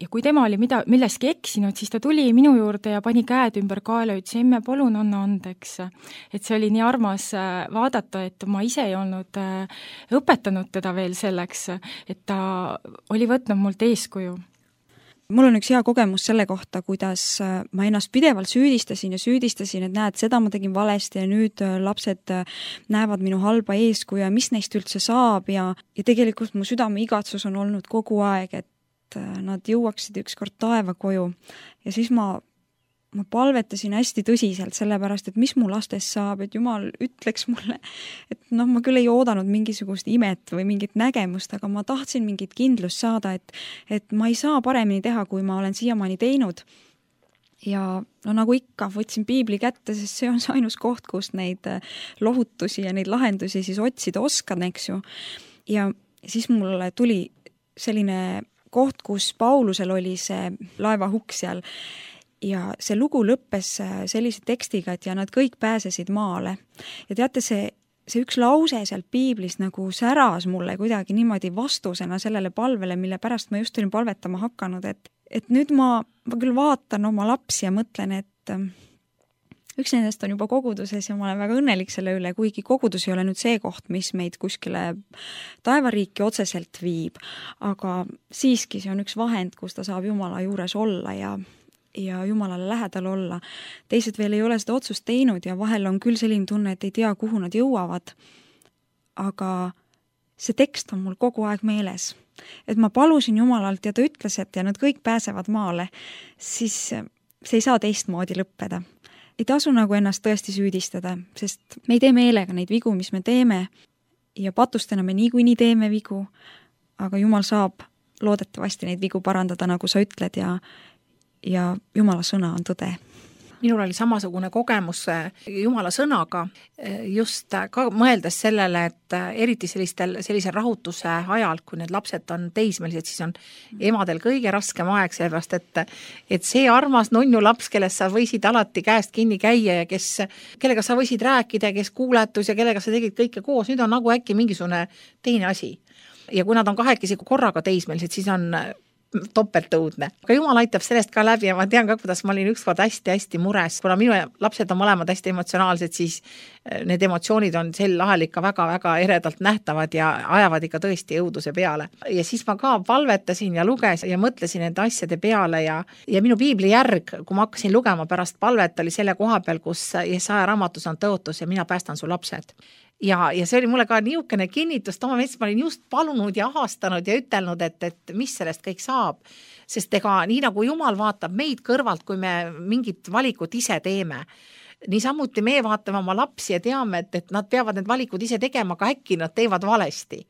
kui tema oli milleski eksinud, siis ta tuli minu juurde ja pani käed ümber kaela ja ütles, emme, palun anna andeks. Et see oli nii armas vaadata, et ma ise ei olnud õpetanud teda veel selleks, et ta oli võtnud mult eeskuju. Mul on üks hea kogemus selle kohta, kuidas ma ennast pidevalt süüdistasin, et näed, seda ma tegin valesti ja nüüd lapsed näevad minu halba eeskuju ja mis neist üldse saab ja tegelikult mu südame igatsus on olnud kogu aeg, et nad jõuaksid ükskord taeva koju ja siis ma palvetasin hästi tõsiselt sellepärast, et mis mu lastest saab, et Jumal ütleks mulle, et ma küll ei oodanud mingisugust imet või mingit nägemust, aga ma tahtsin mingit kindlust saada, et ma ei saa paremini teha, kui ma olen siiamaani teinud. Ja nagu ikka, võtsin piibli kätte, sest see on see ainus koht, kus neid lohutusi ja neid lahendusi siis otsida oskan, eks ju. Ja siis mulle tuli selline koht, kus Paulusel oli see laevahukk seal. ja see lugu lõppes sellise tekstiga, et ja nad kõik pääsesid maale. Ja teate, see üks lause sealt piiblis nagu säras mulle kuidagi niimoodi vastusena sellele palvele, mille pärast ma just olin palvetama hakanud, et nüüd ma küll vaatan oma lapsi ja mõtlen, et üks nendest on juba koguduses ja ma olen väga õnnelik selle üle, kuigi kogudus ei ole nüüd see koht, mis meid kuskile taevariiki otseselt viib, aga siiski see on üks vahend, kus ta saab Jumala juures olla ja Jumalale lähedal olla. Teised veel ei ole seda otsust teinud ja vahel on küll selline tunne, et ei tea, kuhu nad jõuavad. Aga see tekst on mul kogu aeg meeles. Et ma palusin Jumalalt ja ta ütles, et ja nad kõik pääsevad maale, siis see ei saa teistmoodi lõppeda. Ei tasu nagu ennast tõesti süüdistada, sest me ei tee meelega neid vigu, mis me teeme ja patustena me niikuinii teeme vigu, aga Jumal saab loodetavasti neid vigu parandada, nagu sa ütled ja Jumala sõna on tõde. Minul oli samasugune kogemus Jumala sõnaga, just ka mõeldes sellele, et eriti sellise rahutuse ajal, kui need lapsed on teismelised, siis on emadel kõige raskem aeg, sellepärast, et see armas nonnu laps, kellest sa võisid alati käest kinni käia ja kellega sa võisid rääkida, kes kuuletus ja kellega sa tegid kõike koos, nüüd on nagu äkki mingisugune teine asi. Ja kui nad on kahekesi korraga teismelised, siis on topeltõudne. Aga Jumal aitab sellest ka läbi ja ma tean ka, kuidas ma olin ükskord hästi-hästi mures. Kuna minu lapsed on mõlemad hästi emotsionaalsed, siis need emotsioonid on sel ahel ikka väga-väga eredalt nähtavad ja ajavad ikka tõesti õuduse peale. Ja siis ma ka palvetasin ja lugesin ja mõtlesin nende asjade peale ja minu piibli järg, kui ma hakkasin lugema pärast palvet, oli selle koha peal, kus Jesaja raamatus on tõotus ja mina päästan su lapsed. Ja see oli mulle ka niisugune kinnitus, ma olin just palunud ja ahastanud ja ütelnud, et mis sellest kõik saab. Sest ega nii nagu Jumal vaatab meid kõrvalt, kui me mingit valikut ise teeme. Niisamuti me vaatame oma lapsi ja teame, et nad peavad need valikud ise tegema, aga äkki nad teevad valesti.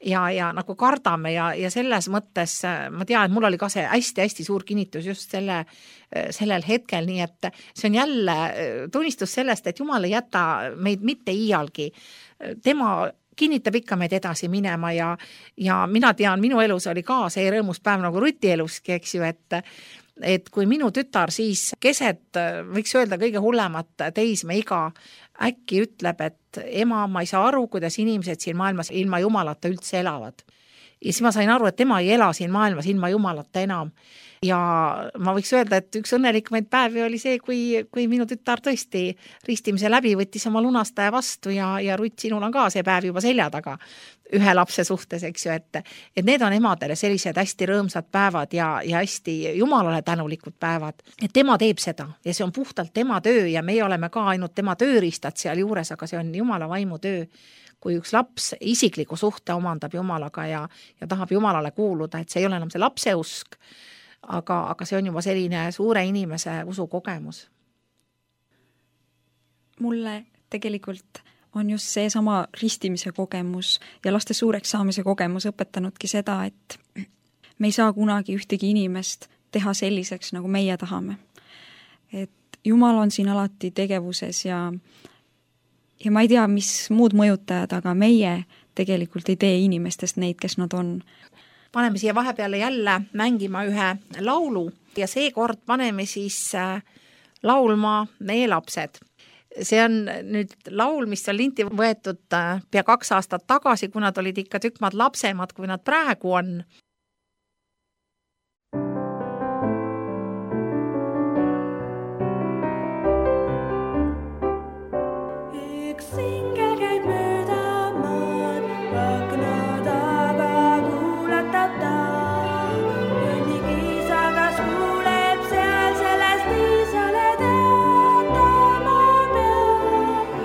Ja nagu kardame ja selles mõttes ma tean, et mul oli ka see hästi-hästi suur kinnitus just sellel hetkel, nii et see on jälle tunnistus sellest, et Jumal ei jäta meid mitte iialgi. Tema kinnitab ikka meid edasi minema ja mina tean, minu elus oli ka see rõõmus päev nagu Ruti eluski, eks ju, et kui minu tütar siis keset, võiks öelda kõige hullemat teismeiga, äkki ütleb, et ema, ma ei saa aru, kuidas inimesed siin maailmas ilma Jumalata üldse elavad. Ja siis ma sain aru, et tema ei ela siin maailmas ilma Jumalata enam. Ja ma võiks öelda, et üks õnnelikumaid päevi oli see, kui minu tütar tõesti ristimise läbi võttis oma lunastaja vastu ja Rutt, sinul on ka see päev juba selja taga ühe lapse suhtes, eks ju, et need on emadele sellised hästi rõõmsad päevad ja hästi Jumalale tänulikud päevad. Et tema teeb seda ja see on puhtalt tema töö ja meie oleme ka ainult tema tööriistad seal juures, aga see on Jumala vaimu töö. Kui üks laps isikliku suhte omandab Jumalaga ja tahab Jumalale kuuluda, et see ei ole enam see lapse usk, aga see on juba selline suure inimese usukogemus. Mulle tegelikult on just see sama ristimise kogemus ja laste suureks saamise kogemus õpetanudki seda, et me ei saa kunagi ühtegi inimest teha selliseks, nagu meie tahame. Et Jumal on siin alati tegevuses ja ma ei tea, mis muud mõjutajad, aga meie tegelikult ei tee inimestest neid, kes nad on. Paneme siia vahepeale jälle mängima ühe laulu ja seekord paneme siis laulma Meie lapsed. See on nüüd laul, mis on linti võetud pea 2 aastat tagasi, kui nad olid ikka tükk maad lapsemad, kui nad praegu on. Üks singel käib mööda maad, akna taga kuulatab ta. Jõnnigi sagas kuuleb seal sellest isale teatama peab.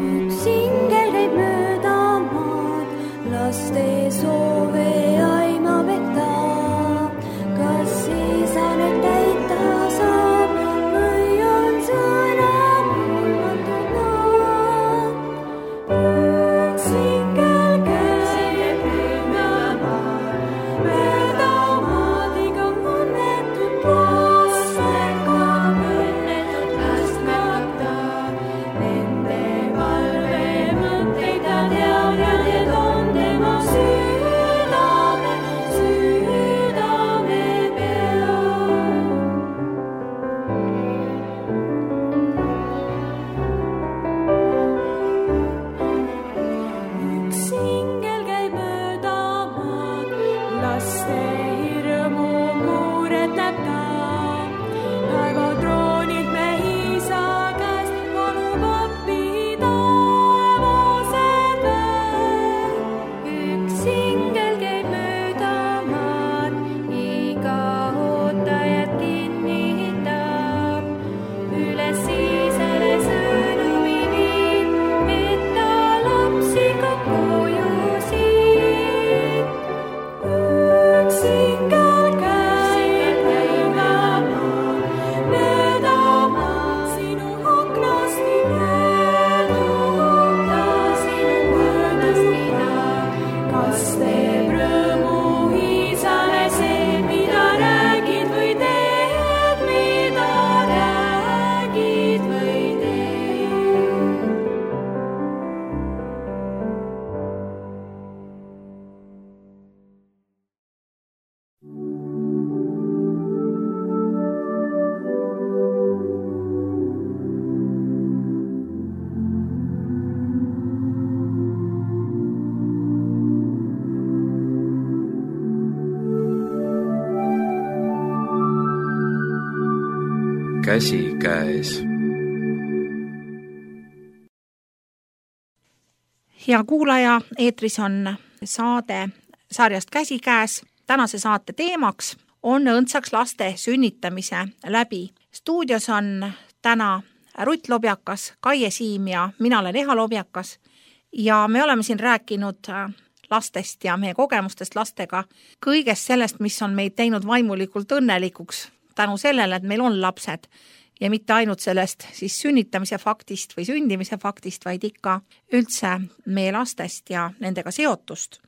Üks singel käib mööda maad, laste soove aimab laste hirmu muuretab ta. Taevatroonilt me isa käest palub appi taevased väed. Üks ingel käib mööda maad, iga ootajat kinnitab. Üles isale sõnumi viib, et ta lapsi ka koju siit. Üks ingel käib mööda maad, sinu aknast nii möödub ta, sinu möödast nii ta. Kas teeb rõõmu isale see, mida räägid või teed, mida räägid või teed? Käsikäes. Hea kuulaja, eetris on saade sarjast Käsikäes. Tänase saate teemaks on õndsaks laste sünnitamise läbi. Stuudios on täna Rutt Lobjakas, Kaie Siim ja mina olen Eha Lobjakas. Ja me oleme siin rääkinud lastest ja meie kogemustest lastega, kõigest sellest, mis on meid teinud vaimulikult õnnelikuks tänu sellele, et meil on lapsed ja mitte ainult sellest siis sünnitamise faktist või sündimise faktist, vaid ikka üldse meie lastest ja nendega seotust.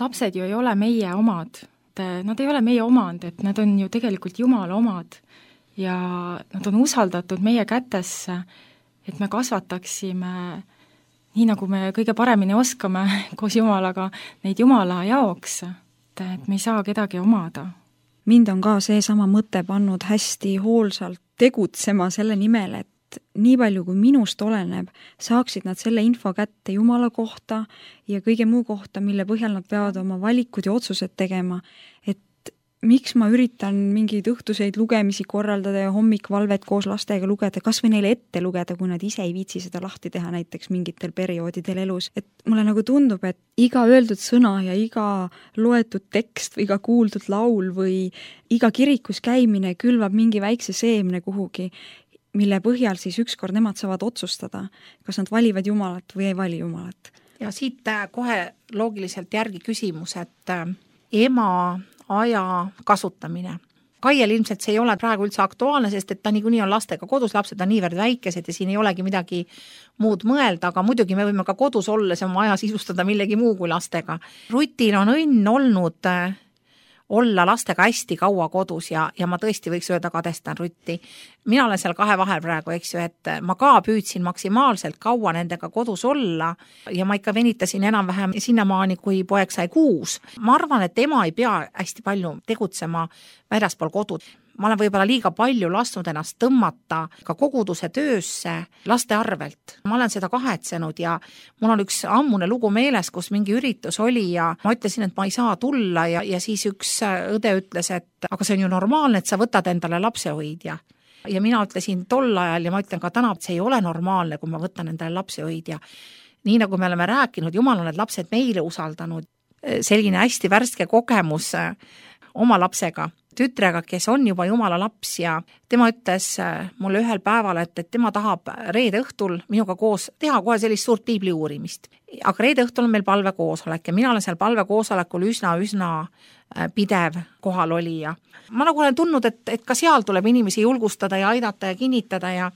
Lapsed ju ei ole meie omad, nad ei ole meie omand, et nad on ju tegelikult Jumala omad ja nad on usaldatud meie kätesse, et me kasvataksime nii, nagu me kõige paremini oskame koos Jumalaga neid Jumala jaoks, et me ei saa kedagi omada. Mind on ka seesama mõte pannud hästi hoolsalt tegutsema selle nimel, et nii palju kui minust oleneb, saaksid nad selle info kätte Jumala kohta ja kõige muu kohta, mille põhjal nad peavad oma valikud ja otsused tegema, et miks ma üritan mingeid õhtuseid lugemisi korraldada ja hommikvalvet koos lastega lugeda, kas või neile ette lugeda, kui nad ise ei viitsi seda lahti teha näiteks mingitel perioodidel elus. Et mulle nagu tundub, et iga öeldud sõna ja iga loetud tekst või iga kuuldud laul või iga kirikus käimine külvab mingi väikse seemne kuhugi, mille põhjal siis ükskord nemad saavad otsustada, kas nad valivad Jumalat või ei vali Jumalat. Ja siit kohe loogiliselt järgi küsimus, et ema aja kasutamine. Kaiel ilmselt see ei ole praegu üldse aktuaalne, sest et ta niikuinii on lastega kodus, lapsed on niivõrd väikesed ja siin ei olegi midagi muud mõelda, aga muidugi me võime ka kodus olles oma aja sisustada millegi muu kui lastega. Rutil on õnn olnud olla lastega hästi kaua kodus ja ma tõesti võiks öelda, kadestan Rutti. Mina olen seal kahe vahel praegu, eks ju, et ma ka püüdsin maksimaalselt kaua nendega kodus olla ja ma ikka venitasin enam-vähem sinnamaani, kui poeg sai 6. Ma arvan, et ema ei pea hästi palju tegutsema väljaspool kodud. Ma olen võib-olla liiga palju lasknud ennast tõmmata ka koguduse töösse laste arvelt. Ma olen seda kahetsenud ja mul on üks ammune lugu meeles, kus mingi üritus oli ja ma ütlesin, et ma ei saa tulla ja siis üks õde ütles, et aga see on ju normaalne, et sa võtad endale lapsehoidja. Ja mina ütlesin tol ajal ja ma ütlen ka täna, et see ei ole normaalne, kui ma võtan endale lapsehoidja. Nii nagu me oleme rääkinud, Jumal on need lapsed meile usaldanud. Selline hästi värske kogemus oma lapsega, tütrega, kes on juba Jumala laps ja tema ütles mulle ühel päeval, et tema tahab reede õhtul minuga koos teha kohe sellist suurt piibli uurimist. Aga reede õhtul on meil palvekoosolek ja mina olen seal palvekoosolekul üsna pidev kohal oli ja ma nagu olen tundnud, et ka seal tuleb inimesi julgustada ja aidata ja kinnitada ja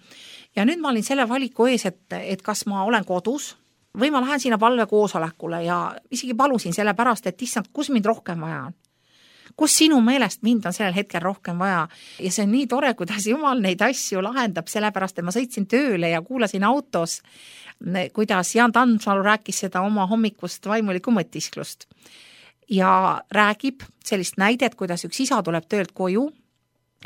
nüüd ma olin selle valiku ees, et kas ma olen kodus või ma lähen sinna palvekoosolekule ja isegi palusin selle pärast, et issand, kus mind rohkem vaja on. Kus sinu meelest mind on sellel hetkel rohkem vaja ja see on nii tore, kuidas Jumal neid asju lahendab, sellepärast, et ma sõitsin tööle ja kuulasin autos, kuidas Jaan Tammsalu rääkis seda oma hommikust vaimulikku mõtisklust ja räägib sellist näidet, kuidas üks isa tuleb töölt koju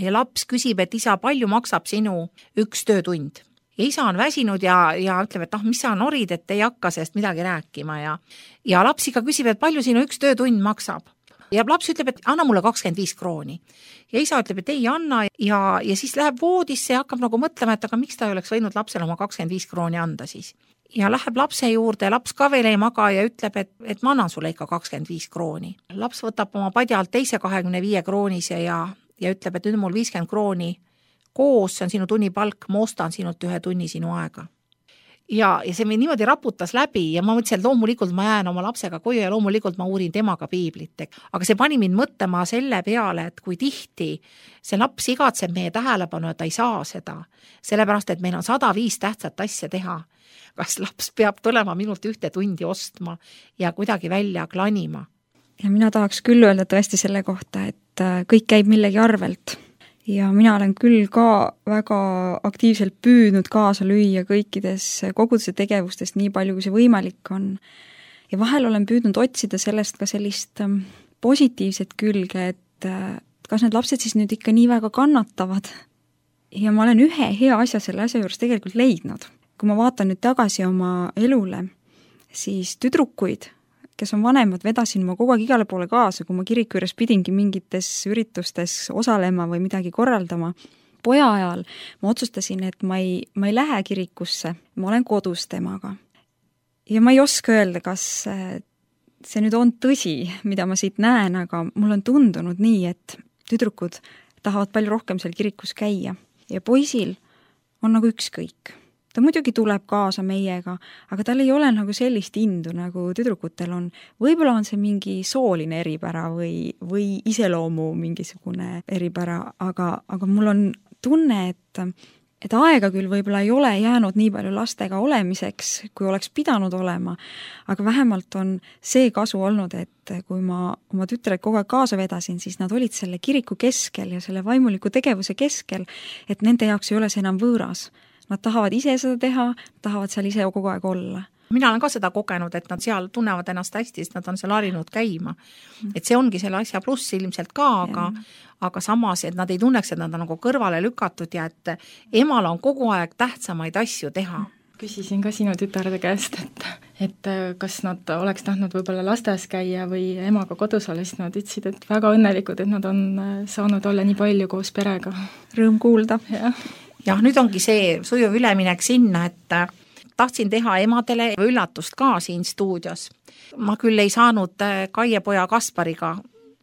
ja laps küsib, et isa, palju maksab sinu üks töötund. Ja isa on väsinud ja ütleb, et mis sa norid, et ei hakka sellest midagi rääkima ja laps ikka küsib, et palju sinu üks töötund maksab. ja laps ütleb, et anna mulle 25 krooni. Ja isa ütleb, et ei anna ja siis läheb voodisse ja hakkab nagu mõtlema, et aga miks ta ei oleks võinud lapsele oma 25 krooni anda siis. Ja läheb lapse juurde, laps ka veel ei maga ja ütleb, et ma annan sulle ikka 25 krooni. Laps võtab oma padjalt teise 25 kroonise ja ütleb, et nüüd mul 50 krooni koos, see on sinu tunnipalk, ma ostan sinult 1 tunni sinu aega. Ja see mind niimoodi raputas läbi ja ma mõtlesin, et loomulikult ma jään oma lapsega koju ja loomulikult ma uurin temaga piiblit. Aga see pani mind mõtlema selle peale, et kui tihti see laps igatseb meie tähelepanu, et ta ei saa seda, sellepärast, et meil on 105 tähtsat asja teha. Kas laps peab tulema minult 1 tundi ostma ja kuidagi välja klanima? Ja mina tahaks küll öelda tõesti selle kohta, et kõik käib millegi arvelt. Ja mina olen küll ka väga aktiivselt püüdnud kaasa lüüa kõikides koguduse tegevustest nii palju, kui see võimalik on. Ja vahel olen püüdnud otsida sellest ka sellist positiivset külge, et kas need lapsed siis nüüd ikka nii väga kannatavad. Ja ma olen ühe hea asja selle asja juures tegelikult leidnud. Kui ma vaatan nüüd tagasi oma elule, siis tüdrukuid, kes on vanemad, vedasin ma kogu aeg igale poole kaasa, kui ma kiriku juures pidingi mingites üritustes osalema või midagi korraldama. Poja ajal ma otsustasin, et ma ei lähe kirikusse, ma olen kodus temaga. Ja ma ei oska öelda, kas see nüüd on tõsi, mida ma siit näen, aga mul on tundunud nii, et tüdrukud tahavad palju rohkem seal kirikus käia. Ja poisil on nagu ükskõik. Ta muidugi tuleb kaasa meiega, aga tal ei ole nagu sellist indu, nagu tüdrukutel on. Võib-olla on see mingi sooline eripära või iseloomu mingisugune eripära, aga mul on tunne, et aega küll võib-olla ei ole jäänud nii palju lastega olemiseks, kui oleks pidanud olema, aga vähemalt on see kasu olnud, et kui ma oma tütred kogu aeg kaasa vedasin, siis nad olid selle kiriku keskel ja selle vaimuliku tegevuse keskel, et nende jaoks ei ole see enam võõras. Nad tahavad ise seda teha, tahavad seal ise kogu aeg olla. Mina olen ka seda kogenud, et nad seal tunnevad ennast hästi, sest nad on seal harinud käima. Et see ongi selle asja pluss ilmselt ka, aga samas, et nad ei tunneks, et nad on nagu kõrvale lükatud ja et emal on kogu aeg tähtsamaid asju teha. Küsisin ka sinu tütarde käest, et kas nad oleks tahtnud võib-olla lastes käia või emaga kodus olla, siis nad ütlesid, et väga õnnelikud, et nad on saanud olla nii palju koos perega. Rõõm kuulda. Ja nüüd ongi see sujuv üleminek sinna, et tahtsin teha emadele üllatust ka siin stuudios. Ma küll ei saanud Kaie poja Kaspariga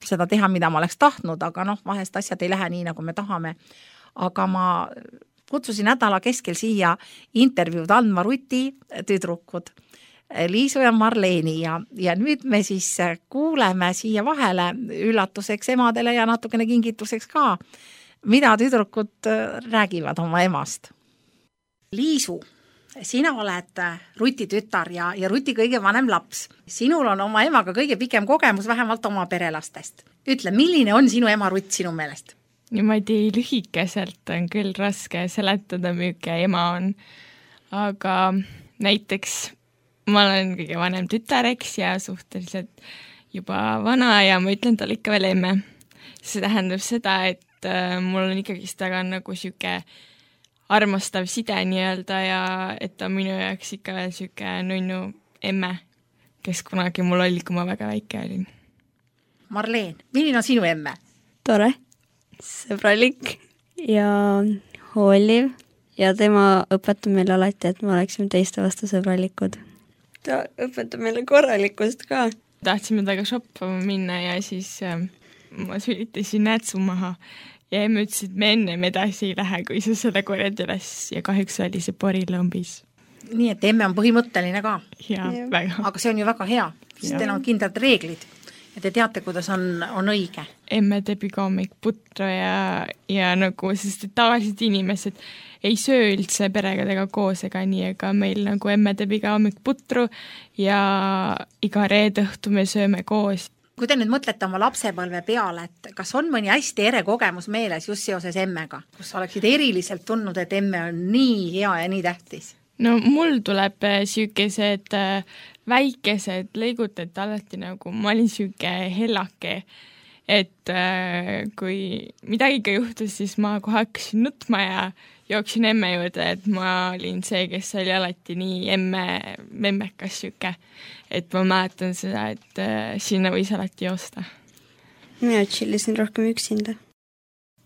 seda teha, mida ma oleks tahtnud, aga vahest asjad ei lähe nii, nagu me tahame. Aga ma kutsusin nädala keskel siia intervjuud andma Ruti tüdrukud, Liisu ja Marleeni ja nüüd me siis kuuleme siia vahele üllatuseks emadele ja natukene kingituseks ka, mida tüdrukud räägivad oma emast. Liisu, sina oled Ruti tütar ja Ruti kõige vanem laps. Sinul on oma emaga kõige pikem kogemus vähemalt oma perelastest. Ütle, milline on sinu ema Rutt sinu meelest? Niimoodi lühikeselt on küll raske seletada, milline ema on. Aga näiteks ma olen kõige vanem tütar, eks, ja suhteliselt juba vana ja ma ütlen talle ikka veel emme. See tähendab seda, et mul on ikkagi taga nagu siuke armastav side nii-öelda ja et ta minu jaoks ikka veel siuke nunnu emme, kes kunagi mul oli, kui ma väga väike olin. Marleen, milline on sinu emme? Tore, sõbralik ja hooliv ja tema õpetab meile alati, et me oleksime teiste vastu sõbralikud. Ta õpetab meile korralikkust ka. Tahtsime taga shoppama minna ja siis ma sülitasin nätsu maha ja emme ütles, et me ennem edasi ei lähe, kui sa seda korjad üles ja kahjuks oli see porilõmbis. Nii, et emme on põhimõtteline ka. Ja, väga. Aga see on ju väga hea, sest teil on kindlad reeglid ja te teate, kuidas on õige. Emme teeb iga hommik putru ja nagu, sest tavaliselt inimesed ei söö üldse peregadega koos ega nii, ega meil nagu emme teeb iga hommik putru ja iga reede õhtu me sööme koos. Kui te nüüd mõtlete oma lapsepõlve peale, et kas on mõni hästi ere kogemus meeles just seoses emmega, kus oleksid eriliselt tundnud, et emme on nii hea ja nii tähtis? No mul tuleb siukesed väikesed lõigud, et alati nagu ma olin siuke hellake, et kui midagi ka juhtus, siis ma kohe hakkasin nutma ja jooksin emme juurde, et ma olin see, kes oli alati nii memmekas siuke, et ma mäletan seda, et sinna võis alati joosta. mina tšillisin rohkem üksinda.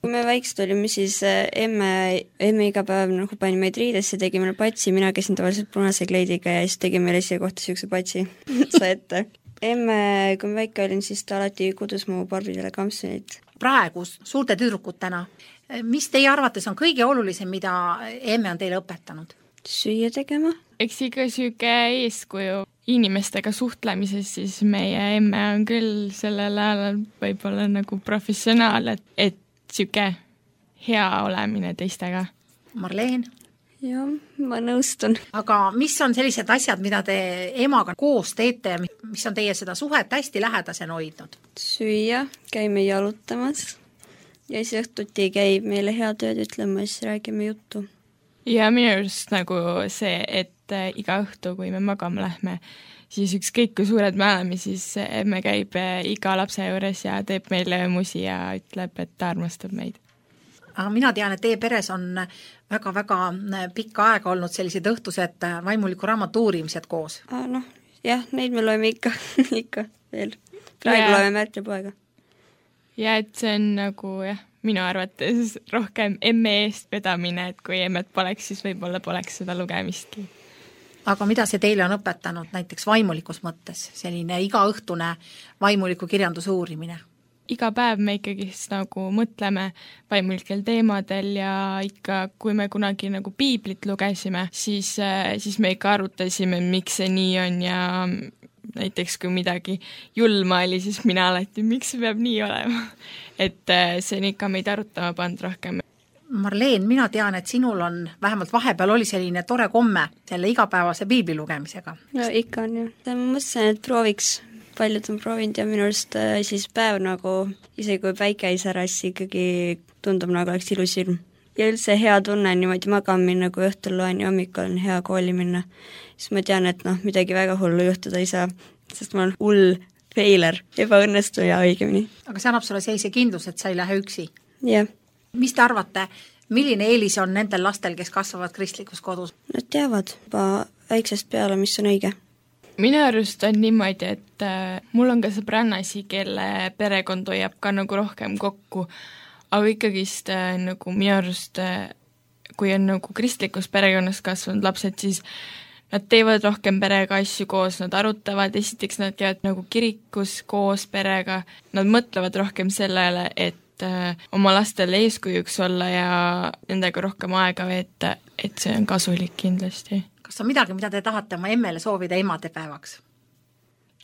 Kui me väiksed olime, siis emme iga päev nagu pani meid riidesse, tegi meile patsi, mina käisin tavaliselt punase kleidiga ja siis tegi meile siia kohta siukse patsi sa ette. Emme, kui ma väike olin, siis ta alati kudus mu Barbidele kampsunid. Praegu suurte tüdrukutena, mis teie arvates on kõige olulisem, mida emme on teile õpetanud? Süüa tegema. Eks ikka siuke eeskuju inimestega suhtlemises, siis meie emme on küll sellel ajal võib-olla nagu professionaal, et siuke hea olemine teistega. Marleen? Jah, ma nõustun. Aga mis on sellised asjad, mida te emaga koos teete, mis on teie seda suhet hästi lähedasena hoidnud? Süüa, käime jalutamas ja siis õhtuti käib meile head ööd ütlema, siis räägime juttu. Ja minu arust nagu see, et iga õhtu, kui me magama lähme, siis ükskõik kui suured me oleme, siis emme käib iga lapse juures ja teeb meile musi ja ütleb, et ta armastab meid. Aga mina tean, et teie peres on väga-väga pikka aega olnud sellised õhtused vaimuliku raamatu uurimised koos. Noh, jah, neid me loeme ikka, ikka veel. Praegu loeme Märtlepoega. Ja et see on nagu jah, minu arvates rohkem emme eest vedamine, et kui emmet poleks, siis võib-olla poleks seda lugemistki. Aga mida see teile on õpetanud näiteks vaimulikus mõttes, selline igaõhtune vaimuliku kirjanduse uurimine? Iga päev me ikkagi nagu mõtleme vaimulikel teemadel ja ikka, kui me kunagi nagu piiblit lugesime, siis me ikka arutasime, miks see nii on ja näiteks kui midagi julma oli, siis mina alati, miks see peab nii olema. Et see on ikka meid arutama pannud rohkem. Marleen, mina tean, et sinul on, vähemalt vahepeal oli selline tore komme selle igapäevase piibli lugemisega. No ikka on ju. Ma mõtlesin, et prooviks, paljud on proovinud ja minu arust siis päev nagu, isegi kui päike ei säras, ikkagi tundub nagu oleks ilus ilm. Ja üldse hea tunne niimoodi magama minna, kui õhtul loen ja hommikul on hea kooli minna. Siis ma tean, et midagi väga hullu juhtuda ei saa, sest ma olen hull feiler, ebaõnnestuja õigemini. Aga see annab sulle sellise kindlus, et sa ei lähe üksi? Jah. Mis te arvate, milline eelis on nendel lastel, kes kasvavad kristlikus kodus? Nad teavad juba väiksest peale, mis on õige. Minu arust on niimoodi, et mul on ka sõbrannasi, kelle perekond hoiab ka nagu rohkem kokku, aga ikkagist nagu minu arust, kui on nagu kristlikus perekonnas kasvanud lapsed, siis nad teevad rohkem perega asju koos, nad arutavad, esiteks nad käivad nagu kirikus koos perega, nad mõtlevad rohkem sellele, et oma lastele eeskujuks olla ja nendega rohkem aega veeta, et see on kasulik kindlasti. Kas on midagi, mida te tahate oma emmele soovida emadepäevaks?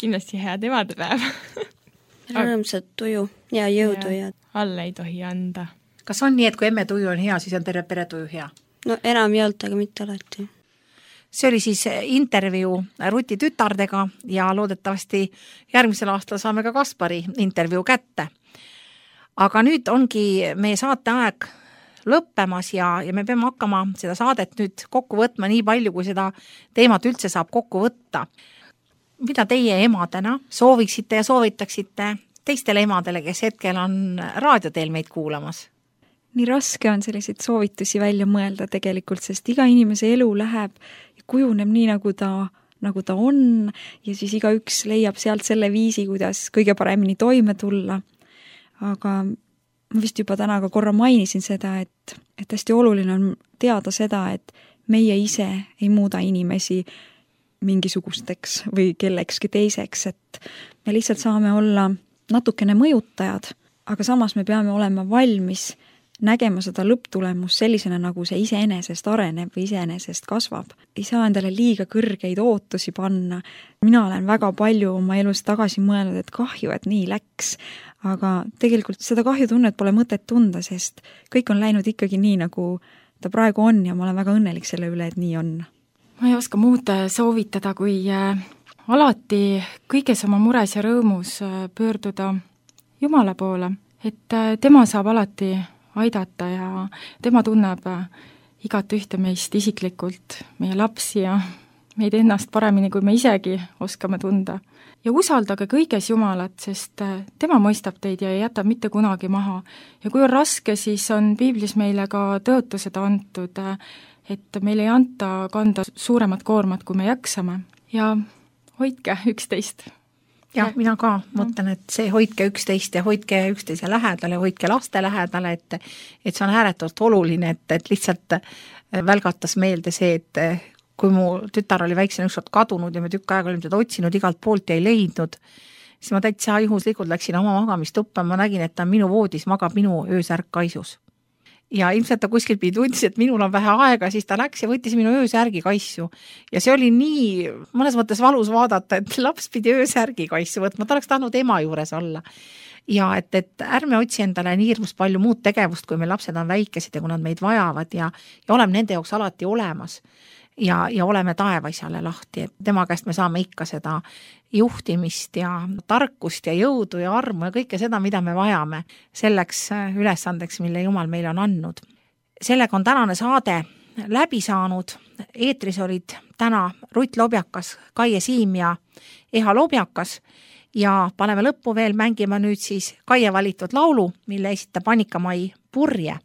Kindlasti head emadepäev. Rõõmsat tuju ja jõudu ja alla ei tohi anda. Kas on nii, et kui emme tuju on hea, siis on terve pere tuju hea? No enam ei olnud, aga mitte alati. See oli siis intervjuu Ruti tütardega ja loodetavasti järgmisel aastal saame ka Kaspari intervjuu kätte. Aga nüüd ongi meie saateaeg lõppemas ja me peame hakkama seda saadet nüüd kokku võtma nii palju, kui seda teemat üldse saab kokku võtta. Mida teie emadena sooviksite ja soovitaksite teistele emadele, kes hetkel on raadioteel meid kuulamas? Nii raske on selliseid soovitusi välja mõelda tegelikult, sest iga inimese elu läheb ja kujuneb nii, nagu ta on ja siis igaüks leiab sealt selle viisi, kuidas kõige paremini toime tulla. Aga ma vist juba täna ka korra mainisin seda, et hästi oluline on teada seda, et meie ise ei muuda inimesi mingisugusteks või kellekski teiseks, et me lihtsalt saame olla natukene mõjutajad, aga samas me peame olema valmis nägema seda lõpptulemus sellisena, nagu see iseenesest areneb või iseenesest kasvab. Ei saa endale liiga kõrgeid ootusi panna. Mina olen väga palju oma elus tagasi mõelnud, et kahju, et nii läks. Aga tegelikult seda kahjutunnet pole mõtet tunda, sest kõik on läinud ikkagi nii, nagu ta praegu on ja ma olen väga õnnelik selle üle, et nii on. Ma ei oska muud soovitada, kui alati kõiges oma mures ja rõõmus pöörduda Jumala poole, et tema saab alati aidata ja tema tunneb igat ühte meist isiklikult, meie lapsi ja meid ennast paremini, kui me isegi oskame tunda. Ja usaldage kõiges Jumalat, sest tema mõistab teid ja ei jäta mitte kunagi maha. Ja kui on raske, siis on piiblis meile ka tõotused antud, et meil ei anta kanda suuremat koormat, kui me jaksame. Ja hoidke üksteist. jah, mina ka mõtlen, et see hoidke üksteist ja hoidke üksteise lähedale, hoidke laste lähedale, et see on ääretult oluline, et lihtsalt välgatas meelde see, et kui mu tütar oli väiksena ükskord kadunud ja me tükk aega olime teda otsinud igalt poolt ja ei leidnud, siis ma täitsa juhuslikult läksin oma magamistuppa, ma nägin, et ta minu voodis magab minu öösärk kaisus. Ja ilmselt ta kuskil pidi tundis, et minul on vähe aega, siis ta läks ja võttis minu öösärgi kaissu. Ja see oli nii mõnes mõttes valus vaadata, et laps pidi öösärgi kaissu võtma, ta oleks tahtnud ema juures olla. Ja et ärme otsi endale nii hirmus palju muud tegevust, kui meil lapsed on väikesed ja kui nad meid vajavad ja oleme nende jaoks alati olemas. Ja oleme taevaisale lahti, et tema käest me saame ikka seda juhtimist ja tarkust ja jõudu ja armu ja kõike seda, mida me vajame selleks ülesandeks, mille Jumal meile on andnud. Sellega on tänane saade läbi saanud. Eetris olid täna Rutt Lobjakas, Kaie Siim ja Eha Lobjakas ja paneme lõppu veel mängima nüüd siis Kaie valitud laulu, mille esitab Annika-Mai Purje.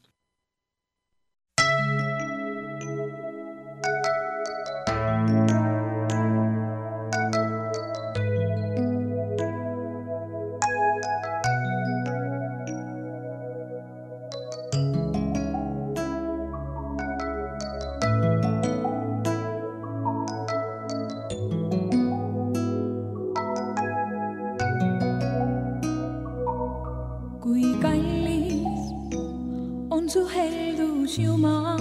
Kui kallis on su heldus, Jumal,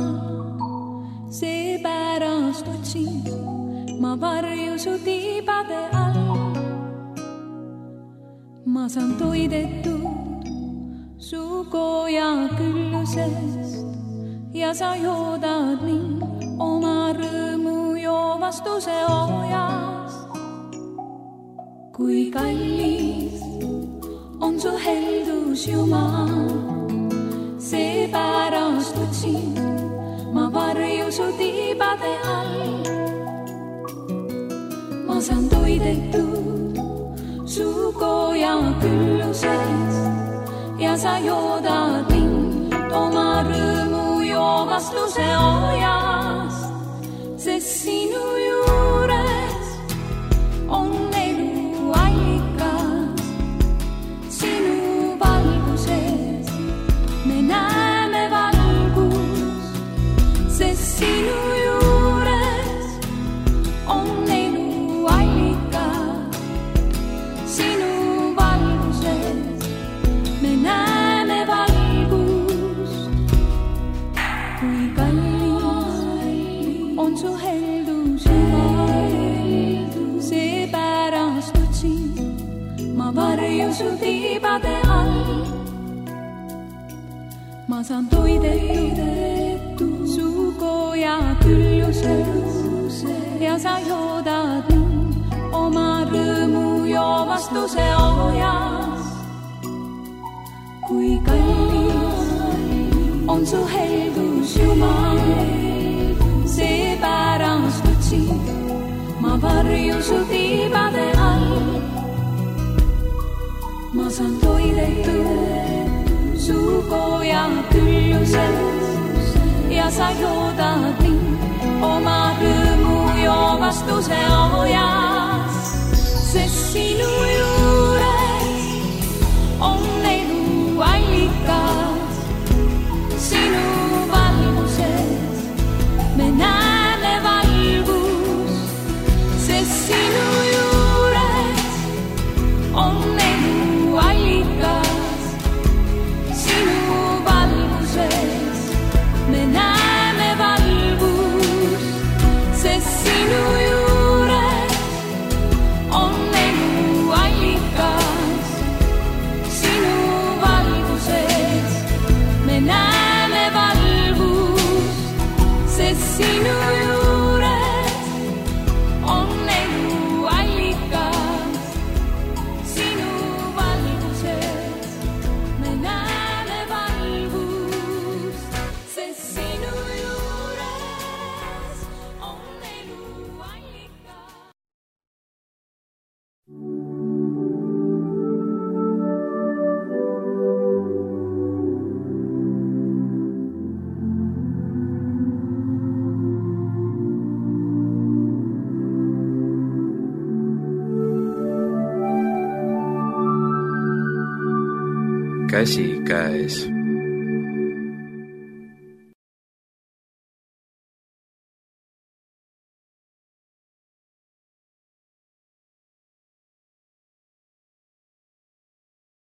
seepärast otsin ma varju su tiibade all. Ma saan toidetud su koja küllusest ja sa joodad mind oma rõõmu joovastuse ojast. Kui kallis on su heldus, Jumal, seepärast otsin ma varju su tiibade all. Ma saan toidetud su koja küllusest ja sa joodad mind oma rõõmu joovastuse ojast, sest sinu juures on elu allikas. Sinu valguses me näeme valgust, sest sinu juures on elu allikas. Sinu valguses me näeme valgust. Kui kallis on su heldus, seepärast otsin ma varju su tiibade all. Ma saan toidetud su koja küllusest ja sa joodad mind oma rõõmu joovastuse ojas. Kui kallis on su heldus, Jumal, seepärast otsin ma varju su tiibade all. Ma saan toidetud su koja küllusest ja sa joodad mind oma rõõmu joovastuse ojas, sest sinu juures on elu allikas. Sinu valguses me näeme valgust, sest sinu juures on elu allikas. Sinu valguses me näeme valgust, sest sinu juures on elu allikas. käsikäes.